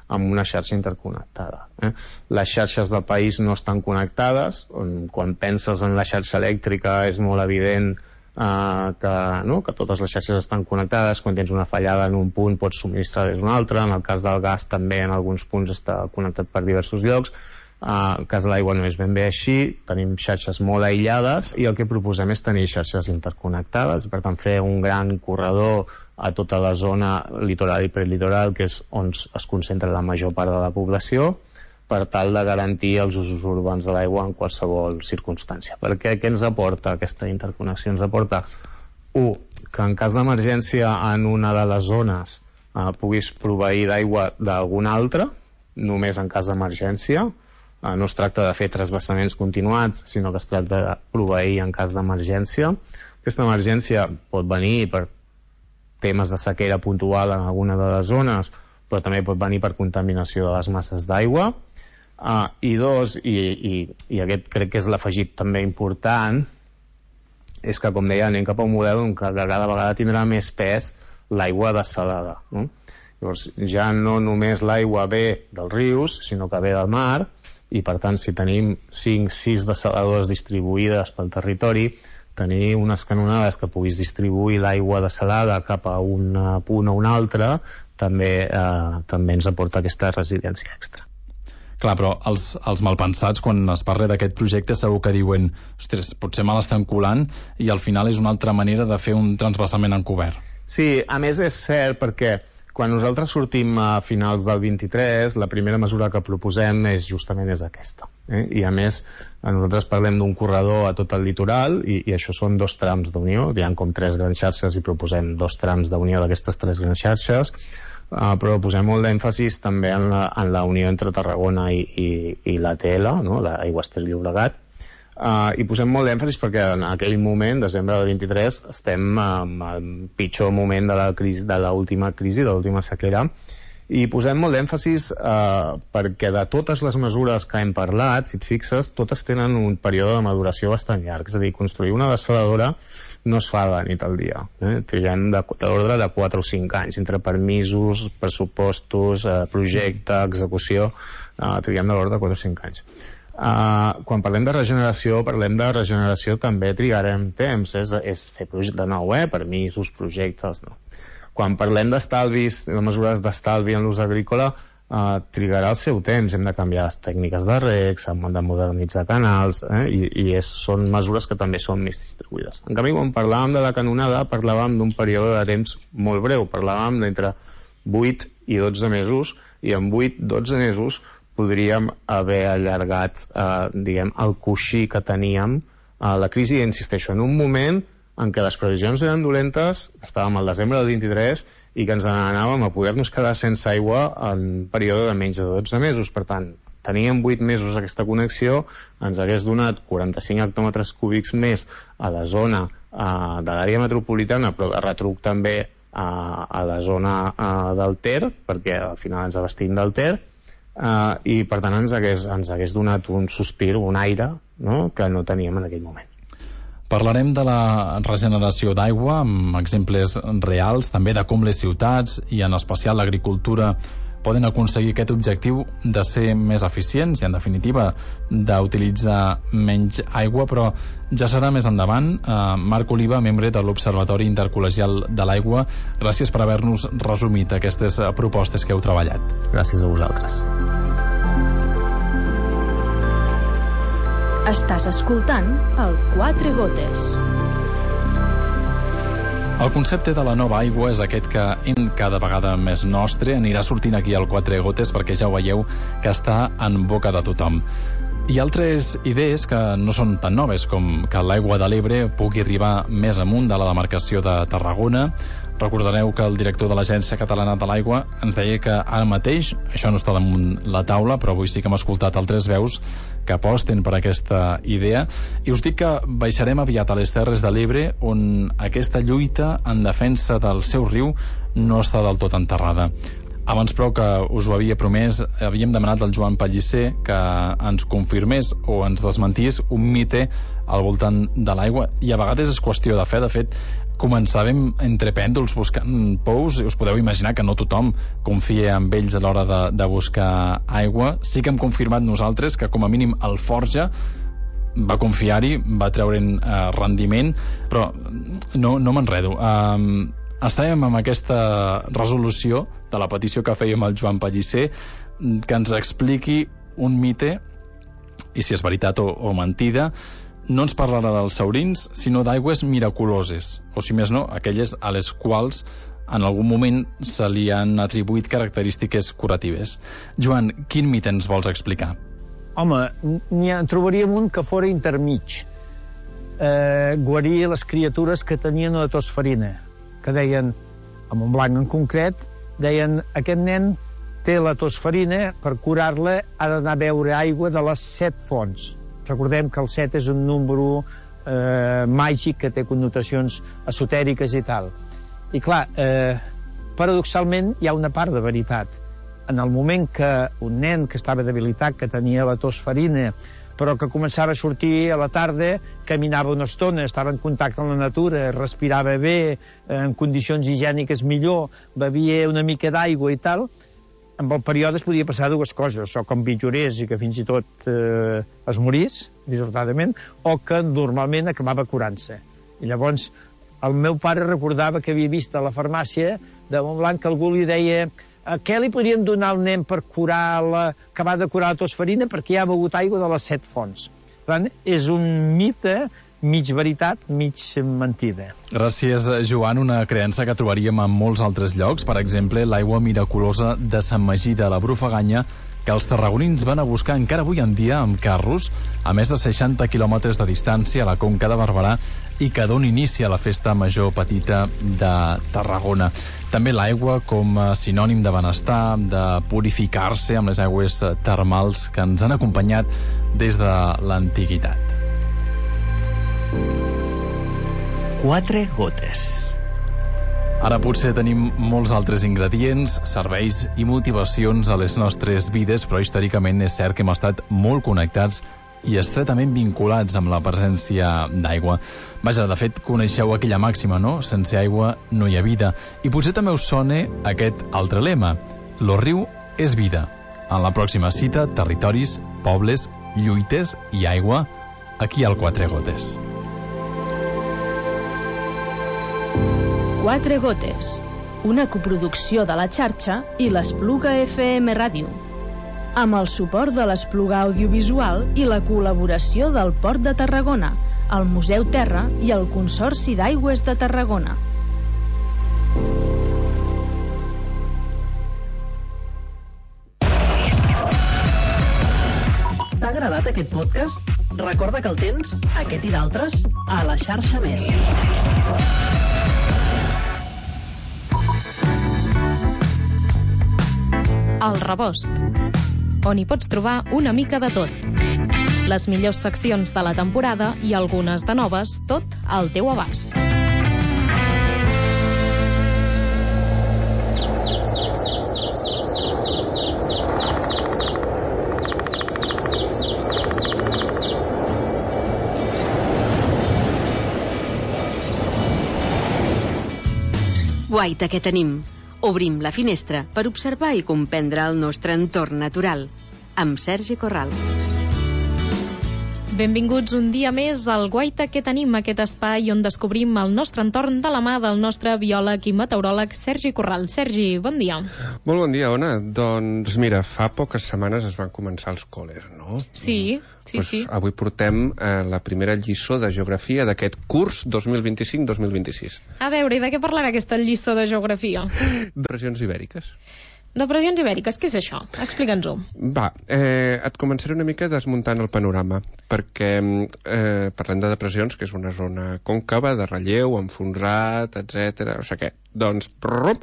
amb una xarxa interconnectada. Eh? Les xarxes del país no estan connectades, on, quan penses en la xarxa elèctrica és molt evident eh, que, no? que totes les xarxes estan connectades, quan tens una fallada en un punt pots subministrar des d'un altre, en el cas del gas també en alguns punts està connectat per diversos llocs. Uh, el cas de l'aigua no és ben bé així, tenim xarxes molt aïllades i el que proposem és tenir xarxes interconnectades, per tant fer un gran corredor a tota la zona litoral i prelitoral, que és on es concentra la major part de la població, per tal de garantir els usos urbans de l'aigua en qualsevol circumstància. Perquè què ens aporta aquesta interconnexió? Ens aporta un, que en cas d'emergència en una de les zones eh, puguis proveir d'aigua d'alguna altra, només en cas d'emergència. Eh, no es tracta de fer transvasaments continuats, sinó que es tracta de proveir en cas d'emergència. Aquesta emergència pot venir per temes de sequera puntual en alguna de les zones, però també pot venir per contaminació de les masses d'aigua. Uh, I dos, i, i, i aquest crec que és l'afegit també important, és que, com deia, anem cap a un model on cada vegada tindrà més pes l'aigua dessalada. No? Llavors, ja no només l'aigua ve dels rius, sinó que ve del mar, i per tant, si tenim cinc sis dessaladores distribuïdes pel territori, tenir unes canonades que puguis distribuir l'aigua dessalada cap a un punt o un altre també, eh, també ens aporta aquesta resiliència extra. Clar, però els, els malpensats, quan es parla d'aquest projecte, segur que diuen ostres, potser me l'estan colant i al final és una altra manera de fer un transvasament encobert. Sí, a més és cert perquè quan nosaltres sortim a finals del vint-i-tres, la primera mesura que proposem és justament és aquesta. Eh? I a més, nosaltres parlem d'un corredor a tot el litoral i, i això són dos trams d'unió, hi ha com tres grans xarxes i proposem dos trams d'unió d'aquestes tres grans xarxes, uh, però posem molt d'èmfasis també en la, en la unió entre Tarragona i, i, i l'A T L, no? l'Aigües Ter Llobregat, Uh, i posem molt d'èmfasis perquè en aquell moment, desembre del vint-i-tres, estem um, al pitjor moment de la crisi, de l'última crisi, de l'última sequera, i posem molt d'èmfasis uh, perquè de totes les mesures que hem parlat, si et fixes, totes tenen un període de maduració bastant llarg, és a dir, construir una dessaladora no es fa de nit al dia, eh? Triguem de, de l'ordre de quatre o cinc anys, entre permisos, pressupostos, uh, projecte, execució, uh, triguem de l'ordre de quatre o cinc anys. Uh, quan parlem de regeneració, parlem de regeneració també trigarem temps, és, és fer projecte de nou, eh? Permisos, projectes, no. Quan parlem d'estalvis, de mesures d'estalvi en l'ús agrícola, uh, trigarà el seu temps, hem de canviar les tècniques de reg, s'han de modernitzar canals, eh? I, i és, són mesures que també són més distribuïdes. En canvi, quan parlàvem de la canonada, parlàvem d'un període de temps molt breu, parlàvem d'entre vuit i dotze mesos, i en vuit dotze mesos podríem haver allargat eh, diguem, el coixí que teníem a la crisi, insisteixo, en un moment en què les previsions eren dolentes, estàvem al desembre del vint-i-tres i que ens n'anàvem a poder-nos quedar sense aigua en un període de menys de dotze mesos. Per tant, teníem vuit mesos aquesta connexió, ens hagués donat quaranta-cinc hectòmetres cúbics més a la zona eh, de l'àrea metropolitana, però de retruc també eh, a la zona eh, del Ter, perquè al final ens abastim del Ter, Uh, i per tant ens hagués, ens hagués donat un sospir, un aire, no?, que no teníem en aquell moment. Parlarem de la regeneració d'aigua amb exemples reals, també de com les ciutats i en especial l'agricultura poden aconseguir aquest objectiu de ser més eficients i en definitiva d'utilitzar menys aigua, però ja serà més endavant. uh, Marc Oliva, membre de l'Observatori Intercol·legial de l'Aigua, gràcies per haver-nos resumit aquestes propostes que heu treballat. Gràcies a vosaltres. Estàs escoltant el Quatre Gotes. El concepte de la nova aigua és aquest que en cada vegada més nostre anirà sortint aquí al Quatre Gotes perquè ja ho veieu que està en boca de tothom. Hi ha altres idees que no són tan noves com que l'aigua de l'Ebre pugui arribar més amunt de la demarcació de Tarragona. Recordareu que el director de l'Agència Catalana de l'Aigua ens deia que ara mateix, això no està damunt la taula, però avui sí que hem escoltat altres veus que aposten per aquesta idea, i us dic que baixarem aviat a les Terres de l'Ebre, on aquesta lluita en defensa del seu riu no està del tot enterrada. Abans, però, que us ho havia promès, havíem demanat al Joan Pellicer que ens confirmés o ens desmentís un mite al voltant de l'aigua, i a vegades és qüestió de fe. De fet, començàvem entre pèndols buscant pous, i us podeu imaginar que no tothom confia en ells a l'hora de, de buscar aigua. Sí que hem confirmat nosaltres que com a mínim el Forja va confiar-hi, va treure'n eh, rendiment, però no, no m'enredo. Um, estàvem amb aquesta resolució de la petició que fèiem al Joan Pellicer, que ens expliqui un mite, i si és veritat o, o mentida. No ens parlarà dels saurins, sinó d'aigües miraculoses, o si més no, aquelles a les quals en algun moment se li han atribuït característiques curatives. Joan, quin mite ens vols explicar? Home, n'hi trobaríem un que fora intermig. eh, guarir les criatures que tenien una tosferina, que deien, a Montblanc en concret, deien, aquest nen té la tosferina, per curar-la ha d'anar a beure aigua de les set fonts. Recordem que el set és un número eh, màgic que té connotacions esotèriques i tal. I clar, eh, paradoxalment hi ha una part de veritat. En el moment que un nen que estava debilitat, que tenia la tosferina, però que començava a sortir a la tarda, caminava una estona, estava en contacte amb la natura, respirava bé, en condicions higièniques millor, bevia una mica d'aigua i tal, amb el període es podia passar dues coses, o que empitjorés i que fins i tot eh, es morís, dissortadament, o que normalment acabava curant-se. I llavors el meu pare recordava que havia vist a la farmàcia de Montblanc que algú li deia què li podríem donar al nen per curar la... acabar de curar la tosferina perquè ja ha begut aigua de les set fonts. Per tant, és un mite mig veritat, mig mentida. Gràcies, Joan. Una creença que trobaríem en molts altres llocs, per exemple, l'aigua miraculosa de Sant Magí de la Brufaganya, que els tarragonins van a buscar encara avui en dia amb carros a més de seixanta quilòmetres de distància a la Conca de Barberà i que dona inici a la festa major petita de Tarragona. També l'aigua com a sinònim de benestar, de purificar-se amb les aigües termals que ens han acompanyat des de l'antiguitat. Quatre gotes. Ara potser tenim molts altres ingredients, serveis i motivacions a les nostres vides, però històricament és cert que hem estat molt connectats i estretament vinculats amb la presència d'aigua. Vaja, de fet, coneixeu aquella màxima, no? Sense aigua no hi ha vida. I potser també us sona aquest altre lema. Lo riu és vida. En la pròxima cita, territoris, pobles, lluites i aigua, aquí al Quatre Gotes. Quatre Gotes, una coproducció de la xarxa i l'Espluga F M Ràdio, amb el suport de l'Espluga Audiovisual i la col·laboració del Port de Tarragona, el Museu Terra i el Consorci d'Aigües de Tarragona. T'ha agradat aquest podcast? Recorda que el tens, aquest i d'altres, a la xarxa Més. El Rebost, on hi pots trobar una mica de tot. Les millors seccions de la temporada i algunes de noves, tot al teu abast. Guaita, què tenim? Obrim la finestra per observar i comprendre el nostre entorn natural. Amb Sergi Corral. Benvinguts un dia més al Guaita que tenim, aquest espai on descobrim el nostre entorn de la mà del nostre biòleg i meteoròleg Sergi Corral. Sergi, bon dia. Molt bon dia, Ona. Doncs mira, fa poques setmanes es van començar els col·les, no? Sí, sí, pues sí. Avui portem eh, la primera lliçó de geografia d'aquest curs dos mil vint-i-cinc dos mil vint-i-sis. A veure, i de què parlarà aquesta lliçó de geografia? De regions ibèriques. Depressions ibèriques, què és això? Explica'ns-ho. Va, eh, et començaré una mica desmuntant el panorama, perquè eh, parlem de depressions, que és una zona còncava, de relleu, enfonsat, etcètera. O sigui què? Doncs, prrrrum,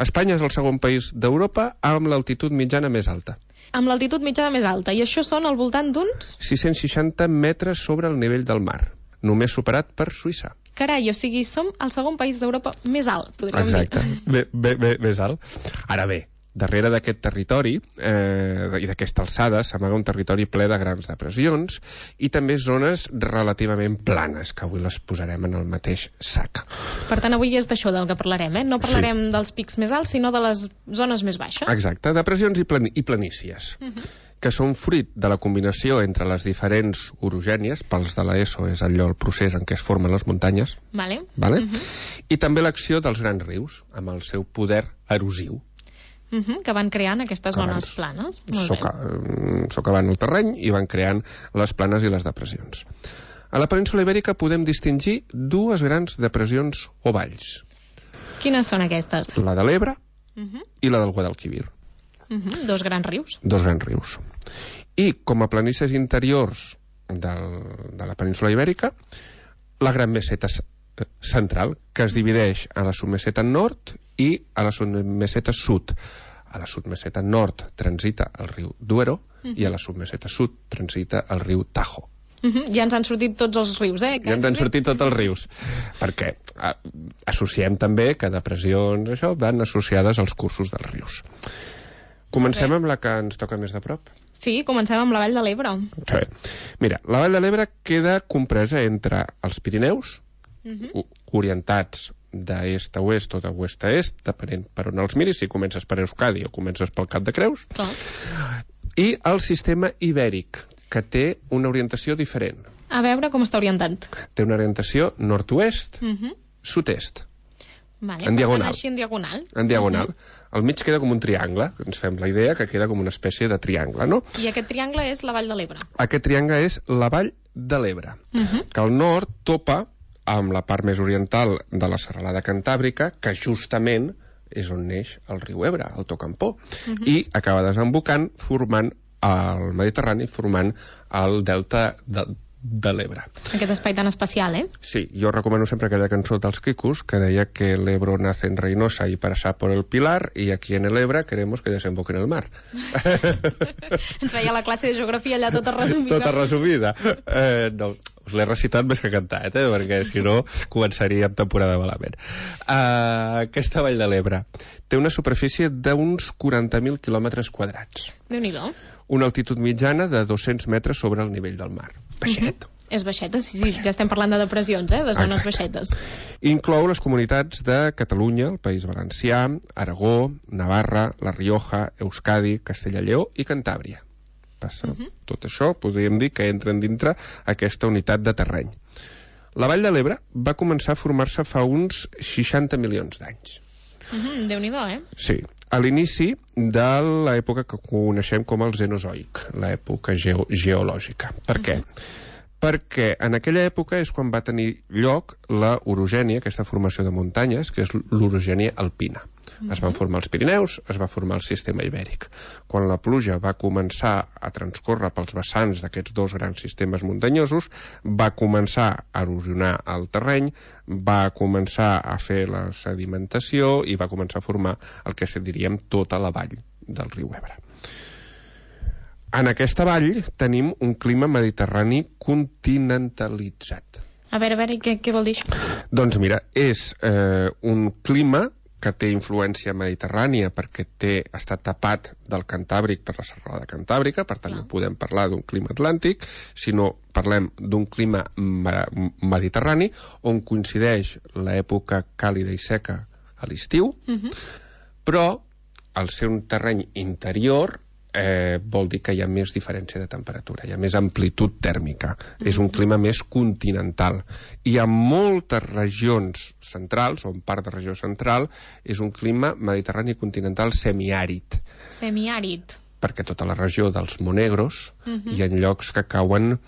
Espanya és el segon país d'Europa amb l'altitud mitjana més alta. Amb l'altitud mitjana més alta, i això són al voltant d'uns? sis-cents seixanta metres sobre el nivell del mar, només superat per Suïssa. Carai, o sigui, som el segon país d'Europa més alt, podríem Exacte. dir. Exacte, bé, bé, bé, més alt. Ara bé, darrere d'aquest territori eh, i d'aquesta alçada s'amaga un territori ple de grans depressions i també zones relativament planes, que avui les posarem en el mateix sac. Per tant, avui és d'això del que parlarem, eh? No parlarem sí. dels pics més alts, sinó de les zones més baixes. Exacte, depressions i, plan i planícies. Uh -huh. que són fruit de la combinació entre les diferents orogènies, pels de l'ESO és allò el procés en què es formen les muntanyes, vale. Vale? Uh -huh. I també l'acció dels grans rius, amb el seu poder erosiu. Uh -huh, que van creant aquestes zones planes. Molt soca, bé. Socavant el terreny i van creant les planes i les depressions. A la península Ibèrica podem distingir dues grans depressions o valls. Quines són aquestes? La de l'Ebre uh -huh. i la del Guadalquivir. Uh -huh, dos grans rius. Dos grans rius. I com a planícies interiors del, de la península Ibèrica, la Gran Meseta Central, que es divideix a la submeseta nord i a la submeseta sud. A la submeseta nord transita el riu Duero uh-huh. i a la submeseta sud transita el riu Tajo. Uh-huh. Ja ens han sortit tots els rius, eh? Ja ens han sortit tots els rius. Perquè a, associem també que depressions, això, van associades als cursos dels rius. Comencem amb la que ens toca més de prop. Sí, comencem amb la Vall de l'Ebre. Sí. Mira, la Vall de l'Ebre queda compresa entre els Pirineus, uh-huh. orientats d'est a oest o de oest a est, depenent per on els miris, si comences per Euskadi o comences pel Cap de Creus, Clar. i el sistema ibèric, que té una orientació diferent. A veure com està orientat. Té una orientació nord-oest, uh-huh. sud-est. Vale, en diagonal. Així en diagonal. En diagonal. Uh-huh. Al mig queda com un triangle, ens fem la idea que queda com una espècie de triangle, no? I aquest triangle és la Vall de l'Ebre. Aquest triangle és la Vall de l'Ebre, uh-huh. que al nord topa amb la part més oriental de la serralada cantàbrica, que justament és on neix el riu Ebre, el Tocampó, uh-huh. i acaba desembocant formant el Mediterrani, formant el delta de, de l'Ebre. Aquest espai tan especial, eh? Sí, jo recomano sempre aquella cançó dels Quicos que deia que el Ebro nace en Reynosa y pasa por el Pilar y aquí en el Ebre queremos que desemboque en el mar. Ens veia la classe de geografia allà tota resumida. Tota resumida. Eh, no, us l'he recitat més que cantat, eh? Perquè si no començaríem temporada malament. Uh, aquesta Vall de l'Ebre té una superfície d'uns quaranta mil quilòmetres quadrats. Déu-n'hi-do. Una altitud mitjana de dos-cents metres sobre el nivell del mar. Baixet. Uh-huh. És baixeta, sí, sí, ja estem parlant de depressions, eh? De zones Exacte. baixetes. Inclou les comunitats de Catalunya, el País Valencià, Aragó, Navarra, La Rioja, Euskadi, Castella-Lleó i Cantàbria. Passa uh-huh. tot això, podríem dir que entren dintre aquesta unitat de terreny. La Vall de l'Ebre va començar a formar-se fa uns seixanta milions d'anys. Uh-huh, Déu-n'hi-do, eh? Sí, a l'inici de l'època que coneixem com el Cenozoic, l'època geo geològica. Per què? Uh-huh. Perquè en aquella època és quan va tenir lloc la orogènia, aquesta formació de muntanyes, que és l'orogènia alpina. Uh-huh. Es van formar els Pirineus, es va formar el sistema ibèric. Quan la pluja va començar a transcórrer pels vessants d'aquests dos grans sistemes muntanyosos, va començar a erosionar el terreny, va començar a fer la sedimentació i va començar a formar el que diríem tota la vall del riu Ebre. En aquesta vall tenim un clima mediterrani continentalitzat. A veure, a veure, què, què vol dir això? Doncs mira, és eh, un clima que té influència mediterrània perquè té, està tapat del Cantàbric per la serralada cantàbrica, per tant no podem parlar d'un clima atlàntic, sinó parlem d'un clima mediterrani on coincideix l'època càlida i seca a l'estiu, uh-huh. però al ser un terreny interior eh, vol dir que hi ha més diferència de temperatura, hi ha més amplitud tèrmica, mm-hmm. és un clima més continental. Hi ha moltes regions centrals, o en part de regió central, és un clima mediterrani continental semiàrid. Semiàrid. Perquè tota la regió dels Monegros mm-hmm. hi ha llocs que cauen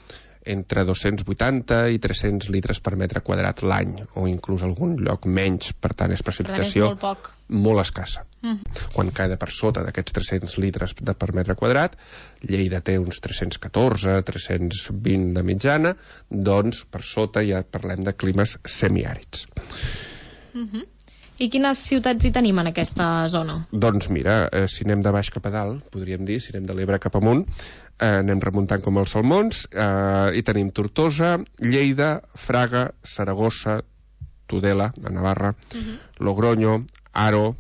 entre dos-cents vuitanta i tres-cents litres per metre quadrat l'any, o inclús algun lloc menys, per tant és precipitació molt, poc. molt escassa. Mm. Quan cada per sota d'aquests tres-cents litres de per metre quadrat, Lleida té uns tres-cents catorze, tres-cents vint de mitjana, doncs per sota ja parlem de climes semiàrids. Mm-hmm. I quines ciutats hi tenim en aquesta zona? Doncs mira, eh, si anem de baix cap a dalt, podríem dir, si anem de l'Ebre cap amunt, eh, anem remuntant com els salmons, eh, i tenim Tortosa, Lleida, Fraga, Saragossa, Tudela, a Navarra, uh-huh. Logroño, Haro,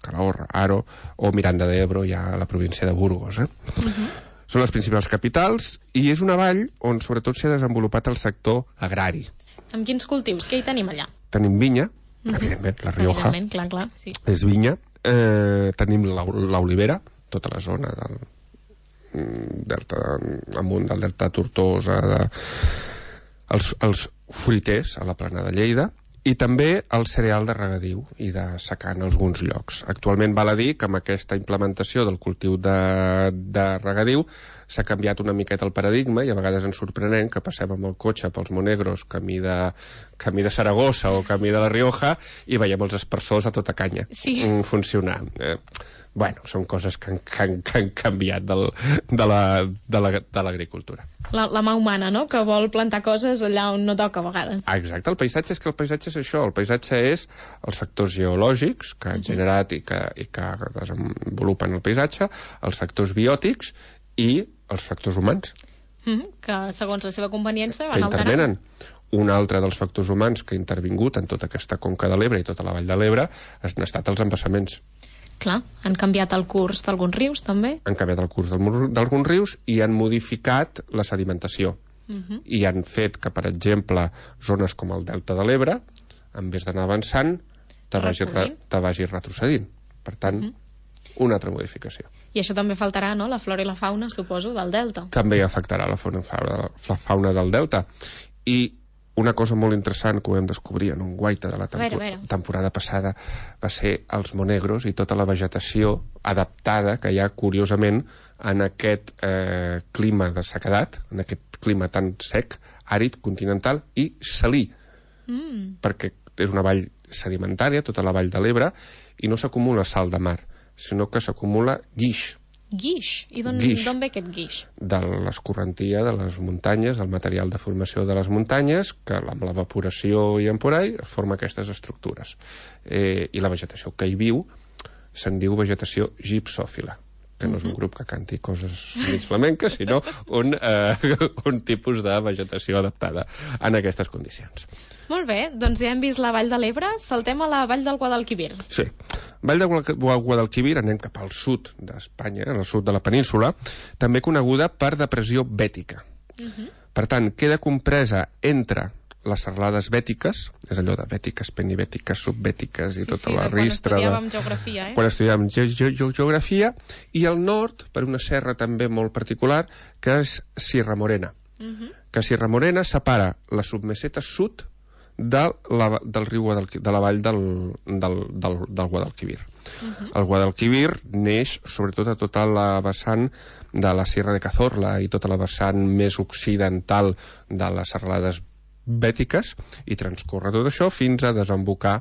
Calahorra, Haro, o Miranda de Ebro, ja a la província de Burgos. Eh? Uh-huh. Són les principals capitals, i és una vall on sobretot s'ha desenvolupat el sector agrari. Amb quins cultius? Què hi tenim allà? Tenim vinya, evidentment, la Rioja evidentment, clar, clar, sí. és vinya, eh, tenim l'olivera, tota la zona del delta, amunt del delta Tortosa, de, els, els fruiters a la plana de Lleida, i també el cereal de regadiu i de secà en alguns llocs. Actualment val a dir que amb aquesta implementació del cultiu de, de regadiu s'ha canviat una miqueta el paradigma i a vegades ens sorprenem que passem amb el cotxe pels Monegros camí de, camí de Saragossa o camí de la Rioja i veiem els aspersors a tota canya sí. funcionar. Eh, Bueno, són coses que han, que han, que han canviat del, de l'agricultura. La, la mà humana, no?, que vol plantar coses allà on no toca a vegades. Ah, exacte, el paisatge és que el paisatge és això, el paisatge és els factors geològics que han generat i que, i que desenvolupen el paisatge, els factors biòtics i els factors humans. Mm-hmm, que segons la seva conveniència van que alterant. intervenen. Un altre dels factors humans que ha intervingut en tota aquesta conca de l'Ebre i tota la vall de l'Ebre han estat els embassaments. Clar, han canviat el curs d'alguns rius, també. Han canviat el curs d'alguns rius i han modificat la sedimentació. Uh-huh. I han fet que, per exemple, zones com el Delta de l'Ebre, en vez d'anar avançant, te vagi, re, te vagi retrocedint. Per tant, uh-huh. una altra modificació. I això també faltarà, no?, la flora i la fauna, suposo, del Delta. També afectarà la fauna, la fauna del Delta. I una cosa molt interessant que ho vam descobrir en un guaita de la tempo- a veure, a veure. temporada passada va ser els monegros i tota la vegetació adaptada que hi ha, curiosament, en aquest eh, clima de sequedat, en aquest clima tan sec, àrid, continental i salí. Mm. Perquè és una vall sedimentària, tota la vall de l'Ebre, i no s'acumula sal de mar, sinó que s'acumula guix. Guix? I d'on ve aquest guix? De l'escorrentia de les muntanyes, del material de formació de les muntanyes, que amb l'evaporació i emporai forma aquestes estructures. Eh, I la vegetació que hi viu se'n diu vegetació gipsòfila, que no és un grup que canti coses mig flamenques, sinó un, eh, un tipus de vegetació adaptada en aquestes condicions. Molt bé, doncs ja hem vist la Vall de l'Ebre, saltem a la Vall del Guadalquivir. Sí, Vall de Guadalquivir, anem cap al sud d'Espanya, al sud de la península, també coneguda per depressió bètica. Uh-huh. Per tant, queda compresa entre les serralades bètiques, és allò de bètiques, penibètiques, subbètiques i sí, tota sí, la ristra... Quan estudiàvem geografia, eh? Quan estudiàvem ge ge ge geografia, i al nord, per una serra també molt particular, que és Sierra Morena. Uh-huh. Que Sierra Morena separa la submeseta sud de la, del riu Guadalquivir, de la vall del, del, del, del Guadalquivir. Uh-huh. El Guadalquivir neix sobretot a tota la vessant de la Sierra de Cazorla i tota la vessant més occidental de les serralades bètiques i transcorre tot això fins a desembocar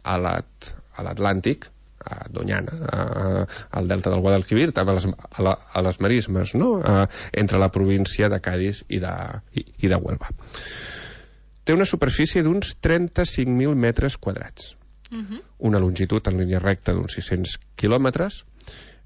a l'Atlàntic, a Doñana, a, al delta del Guadalquivir, també a les, a la, a les marismes, no? A, entre la província de Cádiz i de, i, i de Huelva. Té una superfície d'uns trenta-cinc mil metres quadrats, uh-huh. una longitud en línia recta d'uns sis-cents quilòmetres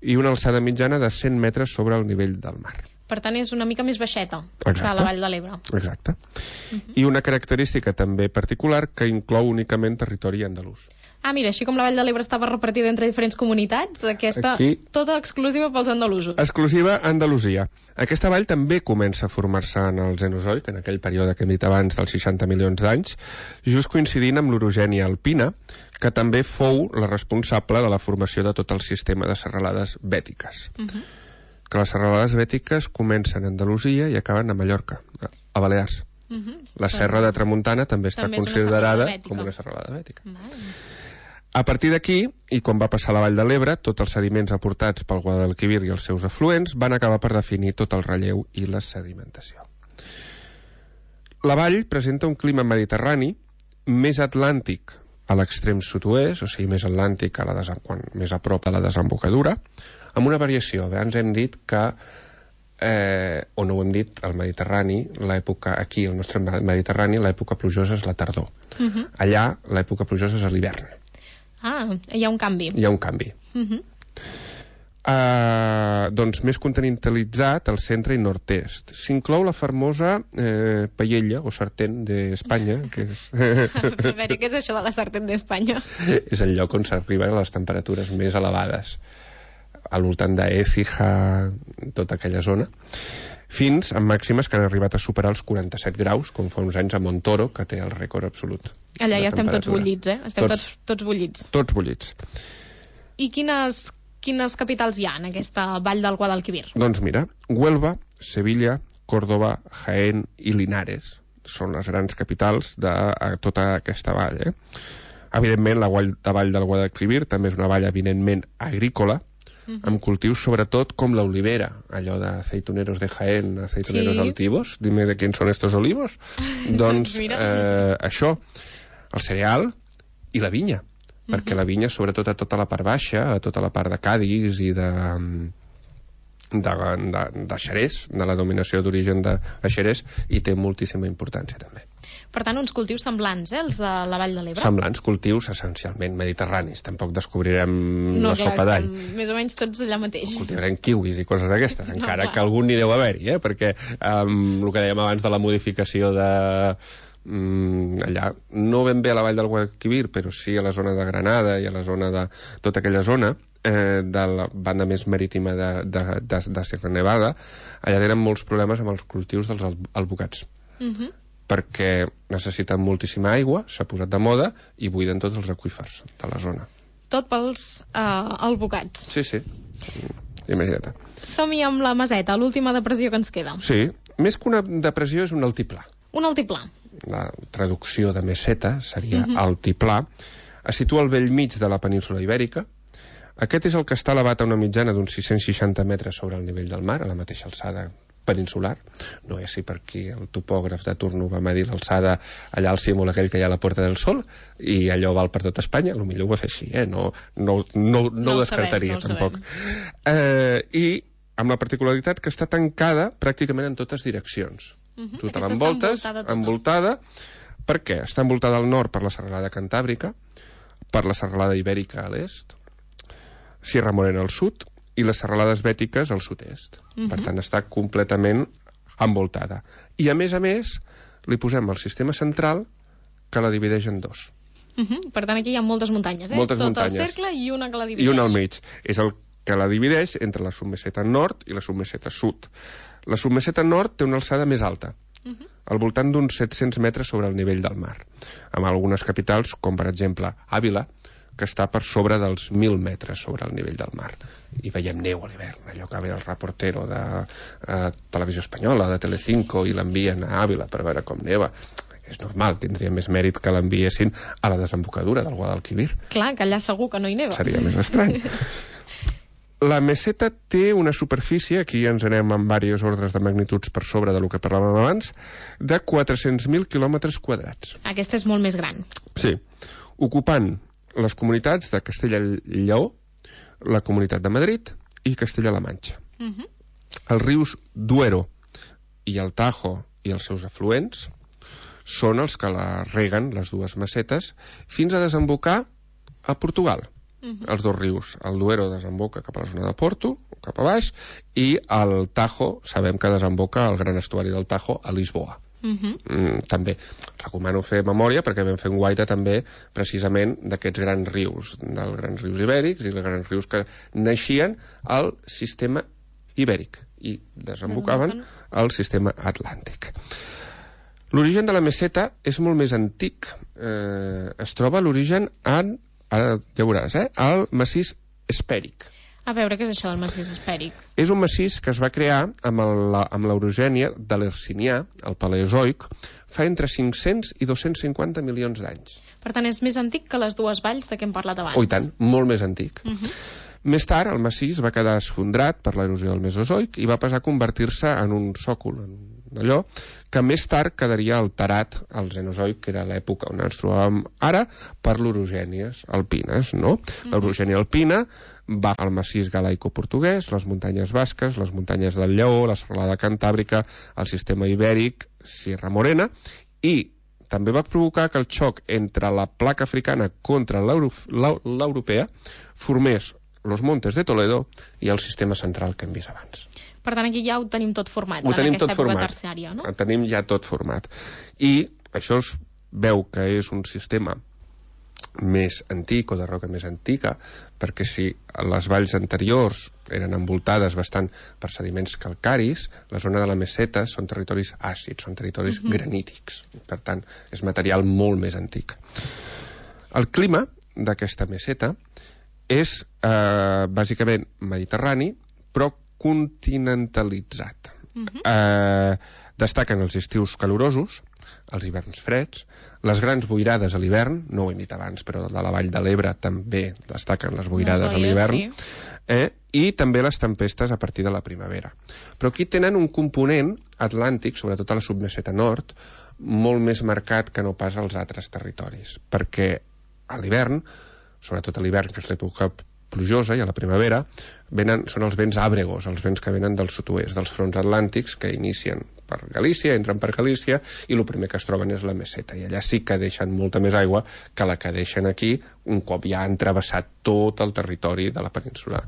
i una alçada mitjana de cent metres sobre el nivell del mar. Per tant, és una mica més baixeta Exacte. que la Vall de l'Ebre. Exacte. Uh-huh. I una característica també particular que inclou únicament territori andalús. Ah, mira, així com la Vall de l'Ebre estava repartida entre diferents comunitats, aquesta Aquí, tota exclusiva pels andalusos. Exclusiva Andalusia. Aquesta vall també comença a formar-se en el Cenozoic, en aquell període que hem dit abans dels seixanta milions d'anys, just coincidint amb l'orogènia alpina, que també fou la responsable de la formació de tot el sistema de serralades bètiques. Uh-huh. Que les serralades bètiques comencen a Andalusia i acaben a Mallorca, a Balears. Uh-huh. La serra de Tramuntana també està també considerada com una serralada bètica. Uh-huh. A partir d'aquí, i quan va passar la Vall de l'Ebre, tots els sediments aportats pel Guadalquivir i els seus afluents van acabar per definir tot el relleu i la sedimentació. La vall presenta un clima mediterrani més atlàntic a l'extrem sud-oest, o sigui, més atlàntic a la quan, més a prop de la desembocadura, amb una variació. Abans hem dit que, eh, o no ho hem dit, el Mediterrani, l'època, aquí, el nostre Mediterrani, l'època plujosa és la tardor. Uh-huh. Allà, l'època plujosa és l'hivern. Ah, hi ha un canvi. Hi ha un canvi. Uh-huh. uh, doncs més continentalitzat al centre i nord-est. S'inclou la famosa eh, paella o sartén d'Espanya, que és... A veure, què és això de la sartén d'Espanya? És el lloc on s'arriben a les temperatures més elevades, al voltant d'Écija, tota aquella zona, fins a màximes que han arribat a superar els quaranta-set graus, com fa uns anys a Montoro, que té el rècord absolut. Allà ja estem tots bullits, eh? Estem tots, tots, tots bullits. Tots bullits. I quines, quines capitals hi ha en aquesta vall del Guadalquivir? Doncs mira, Huelva, Sevilla, Córdoba, Jaén i Linares són les grans capitals de tota aquesta vall, eh? Evidentment, la vall, la vall del Guadalquivir també és una vall evidentment agrícola, uh-huh. amb cultius sobretot com l'olivera, allò de aceituneros de Jaén, aceituneros sí. altivos, dime de quins són estos olivos. Doncs eh, això, el cereal i la vinya. perquè la vinya, sobretot a tota la part baixa, a tota la part de Cadis i de... de, de, de Xerès, de la dominació d'origen de Xerès, i té moltíssima importància també. Per tant, uns cultius semblants, eh, els de la Vall de l'Ebre? Semblants, cultius essencialment mediterranis. Tampoc descobrirem no, la sopa d'all. Més o menys tots allà mateix. Cultivarem kiwis i coses d'aquestes, no, encara clar. que algun n'hi deu haver-hi, eh? Perquè um, el que dèiem abans de la modificació de... Um, allà, no ben bé a la vall del Guadalquivir, però sí a la zona de Granada i a la zona de tota aquella zona, eh, de la banda més marítima de, de, de, de Sierra Nevada, allà tenen molts problemes amb els cultius dels alvocats. Uh -huh. Perquè necessiten moltíssima aigua, s'ha posat de moda, i buiden tots els aqüífers de la zona. Tot pels uh, alvocats. Sí, sí. Imagina't. Som-hi amb la Meseta, l'última depressió que ens queda. Sí, més que una depressió és un altiplà. Un altiplà. La traducció de meseta seria Uh-huh. altiplà. Es situa al vell mig de la península Ibèrica. Aquest és el que està elevat a una mitjana d'uns sis-cents seixanta metres sobre el nivell del mar, a la mateixa alçada peninsular. No és així perquè el topògraf de turno va medir l'alçada allà al símbol aquell que hi ha a la Puerta del Sol, i allò val per tot Espanya. Potser ho va fer així, eh? No, no, no, no, no ho descartaria, sabem, no tampoc. Eh, I amb la particularitat que està tancada pràcticament en totes direccions. Uh-huh. Tota l'envoltes, envoltada, tota. envoltada. Per què? Està envoltada al nord per la serralada cantàbrica, per la serralada ibèrica a l'est, Sierra Morena al sud i les serralades bètiques al sud-est. Uh-huh. Per tant, està completament envoltada. I, a més a més, li posem el sistema central que la divideix en dos. Uh-huh. Per tant, aquí hi ha moltes muntanyes, eh? Moltes Tot muntanyes. el cercle i una que la divideix. I una al mig. És el que la divideix entre la submeseta nord i la submeseta sud. La submeseta nord té una alçada més alta, uh-huh. al voltant d'uns set-cents metres sobre el nivell del mar, amb algunes capitals, com per exemple Àvila, que està per sobre dels mil metres sobre el nivell del mar. I veiem neu a l'hivern, allò que ve el reportero de eh, Televisió Espanyola, de Telecinco, i l'envien a Àvila per veure com neva. És normal, tindria més mèrit que l'enviessin a la desembocadura del Guadalquivir. Clar, que allà segur que no hi neva. Seria més estrany. La meseta té una superfície, aquí ens anem amb diversos ordres de magnituds per sobre del que parlàvem abans, de quatre-cents mil quilòmetres quadrats. Aquesta és molt més gran. Sí, ocupant les comunitats de Castella-Lleó, la Comunitat de Madrid i Castella-La Manxa. Uh-huh. Els rius Duero i el Tajo i els seus afluents són els que la reguen, les dues mesetes, fins a desembocar a Portugal. Uh-huh. Els dos rius, el Duero desemboca cap a la zona de Porto, cap a baix, i el Tajo, sabem que desemboca al gran estuari del Tajo a Lisboa. Uh-huh. mm, també recomano fer memòria perquè vam fer un guaita també precisament d'aquests grans rius, dels grans rius ibèrics i els grans rius que naixien al sistema ibèric i desembocaven al sistema atlàntic. L'origen de la meseta és molt més antic. Eh, es troba l'origen en, ara ja veuràs, eh, al massís espèric. A veure, què és això del massís espèric? És un massís que es va crear amb l'orogènia de l'Hercinià, el Paleozoic, fa entre cinc-cents i dos-cents cinquanta milions d'anys. Per tant, és més antic que les dues valls de què hem parlat abans. Oh, i tant, molt més antic. Uh-huh. Més tard, el massís va quedar esfondrat per l'erosió del Mesozoic i va passar a convertir-se en un sòcol, en allò, que més tard quedaria alterat al Cenozoic, que era l'època on ens trobàvem ara, per l'orogènies alpines, no? Uh-huh. L'orogènia alpina va al massís galaico-portuguès, les muntanyes basques, les muntanyes del Lleó, la serralada cantàbrica, el sistema ibèric, Sierra Morena, i també va provocar que el xoc entre la placa africana contra l'europea formés los Montes de Toledo i el sistema central que hem vist abans. Per tant, aquí ja ho tenim tot format, ho en tenim aquesta tot època format. terciària, no? Ho tenim ja tot format. I això es veu que és un sistema més antic o de roca més antica, perquè si les valls anteriors eren envoltades bastant per sediments calcaris, la zona de la meseta són territoris àcids, són territoris uh-huh. granítics. Per tant, és material molt més antic. El clima d'aquesta meseta és eh, bàsicament mediterrani, però continentalitzat. Uh-huh. Eh, destaquen els estius calorosos, els hiverns freds, les grans boirades a l'hivern, no ho he dit abans, però de la vall de l'Ebre també destaquen les boirades les boies, a l'hivern, sí. eh, i també les tempestes a partir de la primavera. Però aquí tenen un component atlàntic, sobretot a la submeseta nord, molt més marcat que no pas als altres territoris, perquè a l'hivern sobretot a l'hivern, que és l'època plujosa, i a la primavera, venen, són els vents àbregos, els vents que venen del sud-oest, dels fronts atlàntics, que inicien per Galícia, entren per Galícia, i el primer que es troben és la meseta, i allà sí que deixen molta més aigua que la que deixen aquí, un cop ja han travessat tot el territori de la península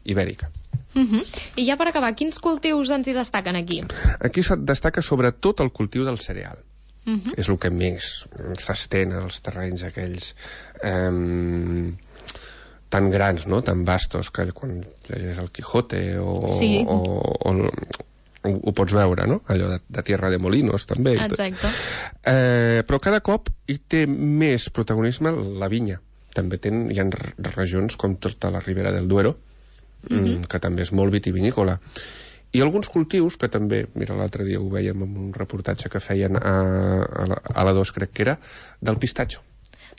ibèrica. Uh -huh. I ja per acabar, quins cultius ens hi destaquen aquí? Aquí se't destaca sobretot el cultiu del cereal. Uh -huh. És el que més s'estén als terrenys aquells eh, tan grans, no? Tan vastos, que quan llegeix el Quijote o, sí. o, o, o ho pots veure, no? Allò de, de Tierra de Molinos, també. Exacte. Eh, però cada cop hi té més protagonisme la vinya. També ten, hi ha regions com tota la Ribera del Duero, uh -huh. que també és molt vitivinícola. I alguns cultius que també, mira, l'altre dia ho vèiem en un reportatge que feien a, a, la, a la dos, crec que era, del pistatxo.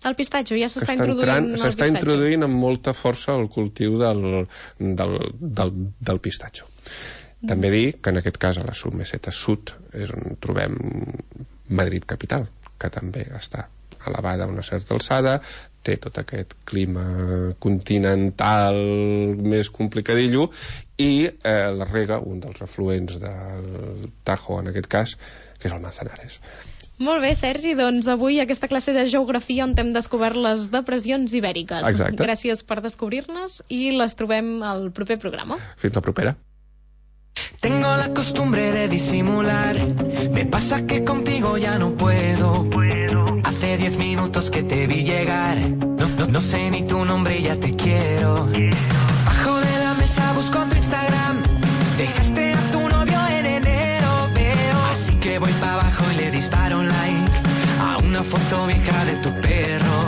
El pistatxo, ja s'està introduint s'està introduint amb molta força el cultiu del, del, del, del pistatxo. Mm. També dir que en aquest cas a la submeseta sud és on trobem Madrid capital, que també està elevada a una certa alçada, té tot aquest clima continental més complicadillo, i eh, la rega, un dels afluents del Tajo en aquest cas, que és el Manzanares. Molt bé, Sergi, doncs avui aquesta classe de geografia on hem descobert les depressions ibèriques. Exacte. Gràcies per descobrir-nos i les trobem al proper programa. Fins la propera. Tengo la costumbre de disimular. Me pasa que contigo ya no puedo. Hace diez minutos que te vi llegar. No, no, no sé ni tu nombre y ya te quiero. Bajo de la mesa busco tu Instagram. Dejaste a tu novio en enero, veo. Así que voy para abajo y le disparo un like a una foto vieja de tu perro.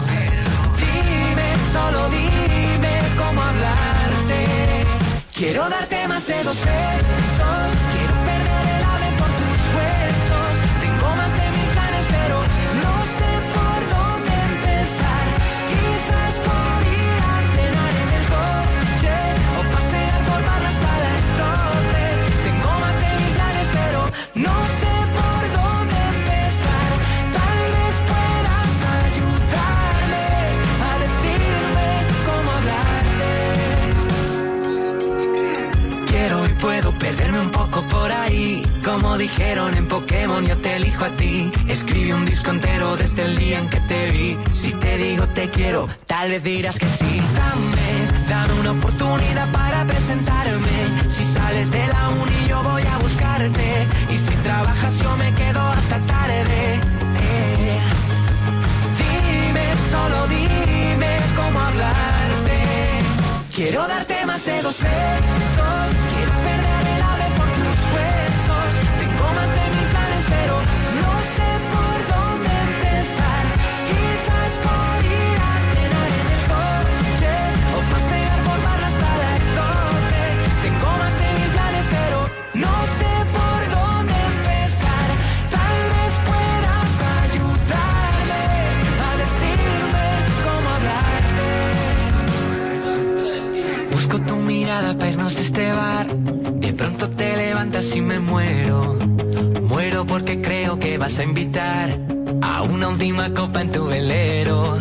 Dime, solo dime cómo hablarte. Quiero darte más de dos besos. Quiero perder el ave por tus huesos. Tengo más de mil planes, pero no sé por dónde empezar. Quizás por ir a cenar en el coche o pasear por barra hasta las doce. Tengo más de mil planes, pero no sé por dónde empezar. Tal vez puedas ayudarme a decirme cómo hablarte. Quiero y puedo perderme un poco por ahí. Como dijeron en Pokémon, yo te elijo a ti. Escribí un disco entero desde el día en que te vi. Si te digo te quiero, tal vez dirás que sí. Dame, dame una oportunidad para presentarme. Si sales de la uni yo voy a buscarte. Y si trabajas yo me quedo hasta tarde. Eh. Dime, solo dime cómo hablarte. Quiero darte más de dos besos. Quiero perder el ave por tus huesos. Tengo más de mil planes, pero no sé por dónde empezar. Quizás por ir a cenar en el coche o pasear por barra hasta las doce. Tengo más de mil planes, pero no sé por dónde empezar. Tal vez puedas ayudarme a decirme cómo hablarte. Busco tu mirada para irnos de este bar. De pronto te levantas y me muero. Muero porque creo que vas a invitar a una última copa en tu velero.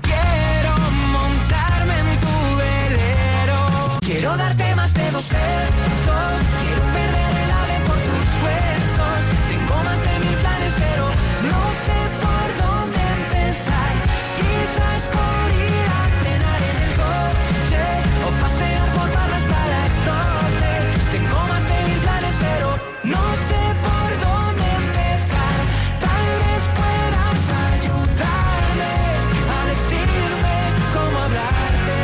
Quiero montarme en tu velero. Quiero darte más de dos besos. Quiero perder el ave por tus huesos. Tengo más de mil planes, pero no sé por dónde empezar. Quizás por ir a cenar en el coche o pasear por barra hasta las doce. Tengo más de mil planes, pero no sé por dónde empezar. Tal vez puedas ayudarme a decirme cómo hablarte.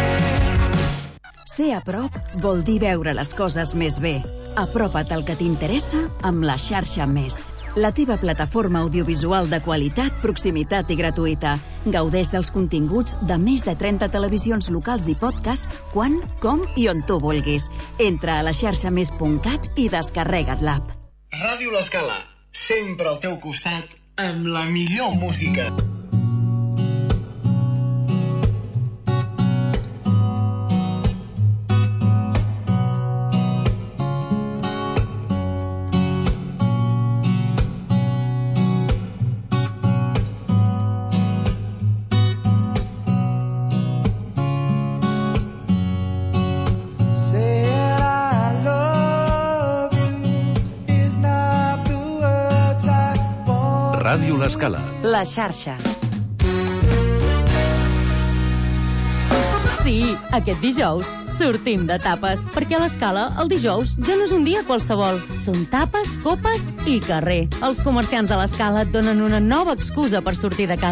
Ser a prop vol dir veure les coses més bé. Apropa't al que t'interessa amb la xarxa Més. La teva plataforma audiovisual de qualitat, proximitat i gratuïta. Gaudeix dels continguts de més de trenta televisions locals i podcast quan, com i on tu vulguis. Entra a la xarxa més punt cat i descarrega't l'app. Ràdio L'Escala, sempre al teu costat amb la millor música. Ràdio L'Escala. La xarxa. Sí, aquest dijous sortim de tapes, perquè a l'Escala el dijous ja no és un dia qualsevol. Són tapes, copes i carrer. Els comerciants de l'Escala et donen una nova excusa per sortir de casa.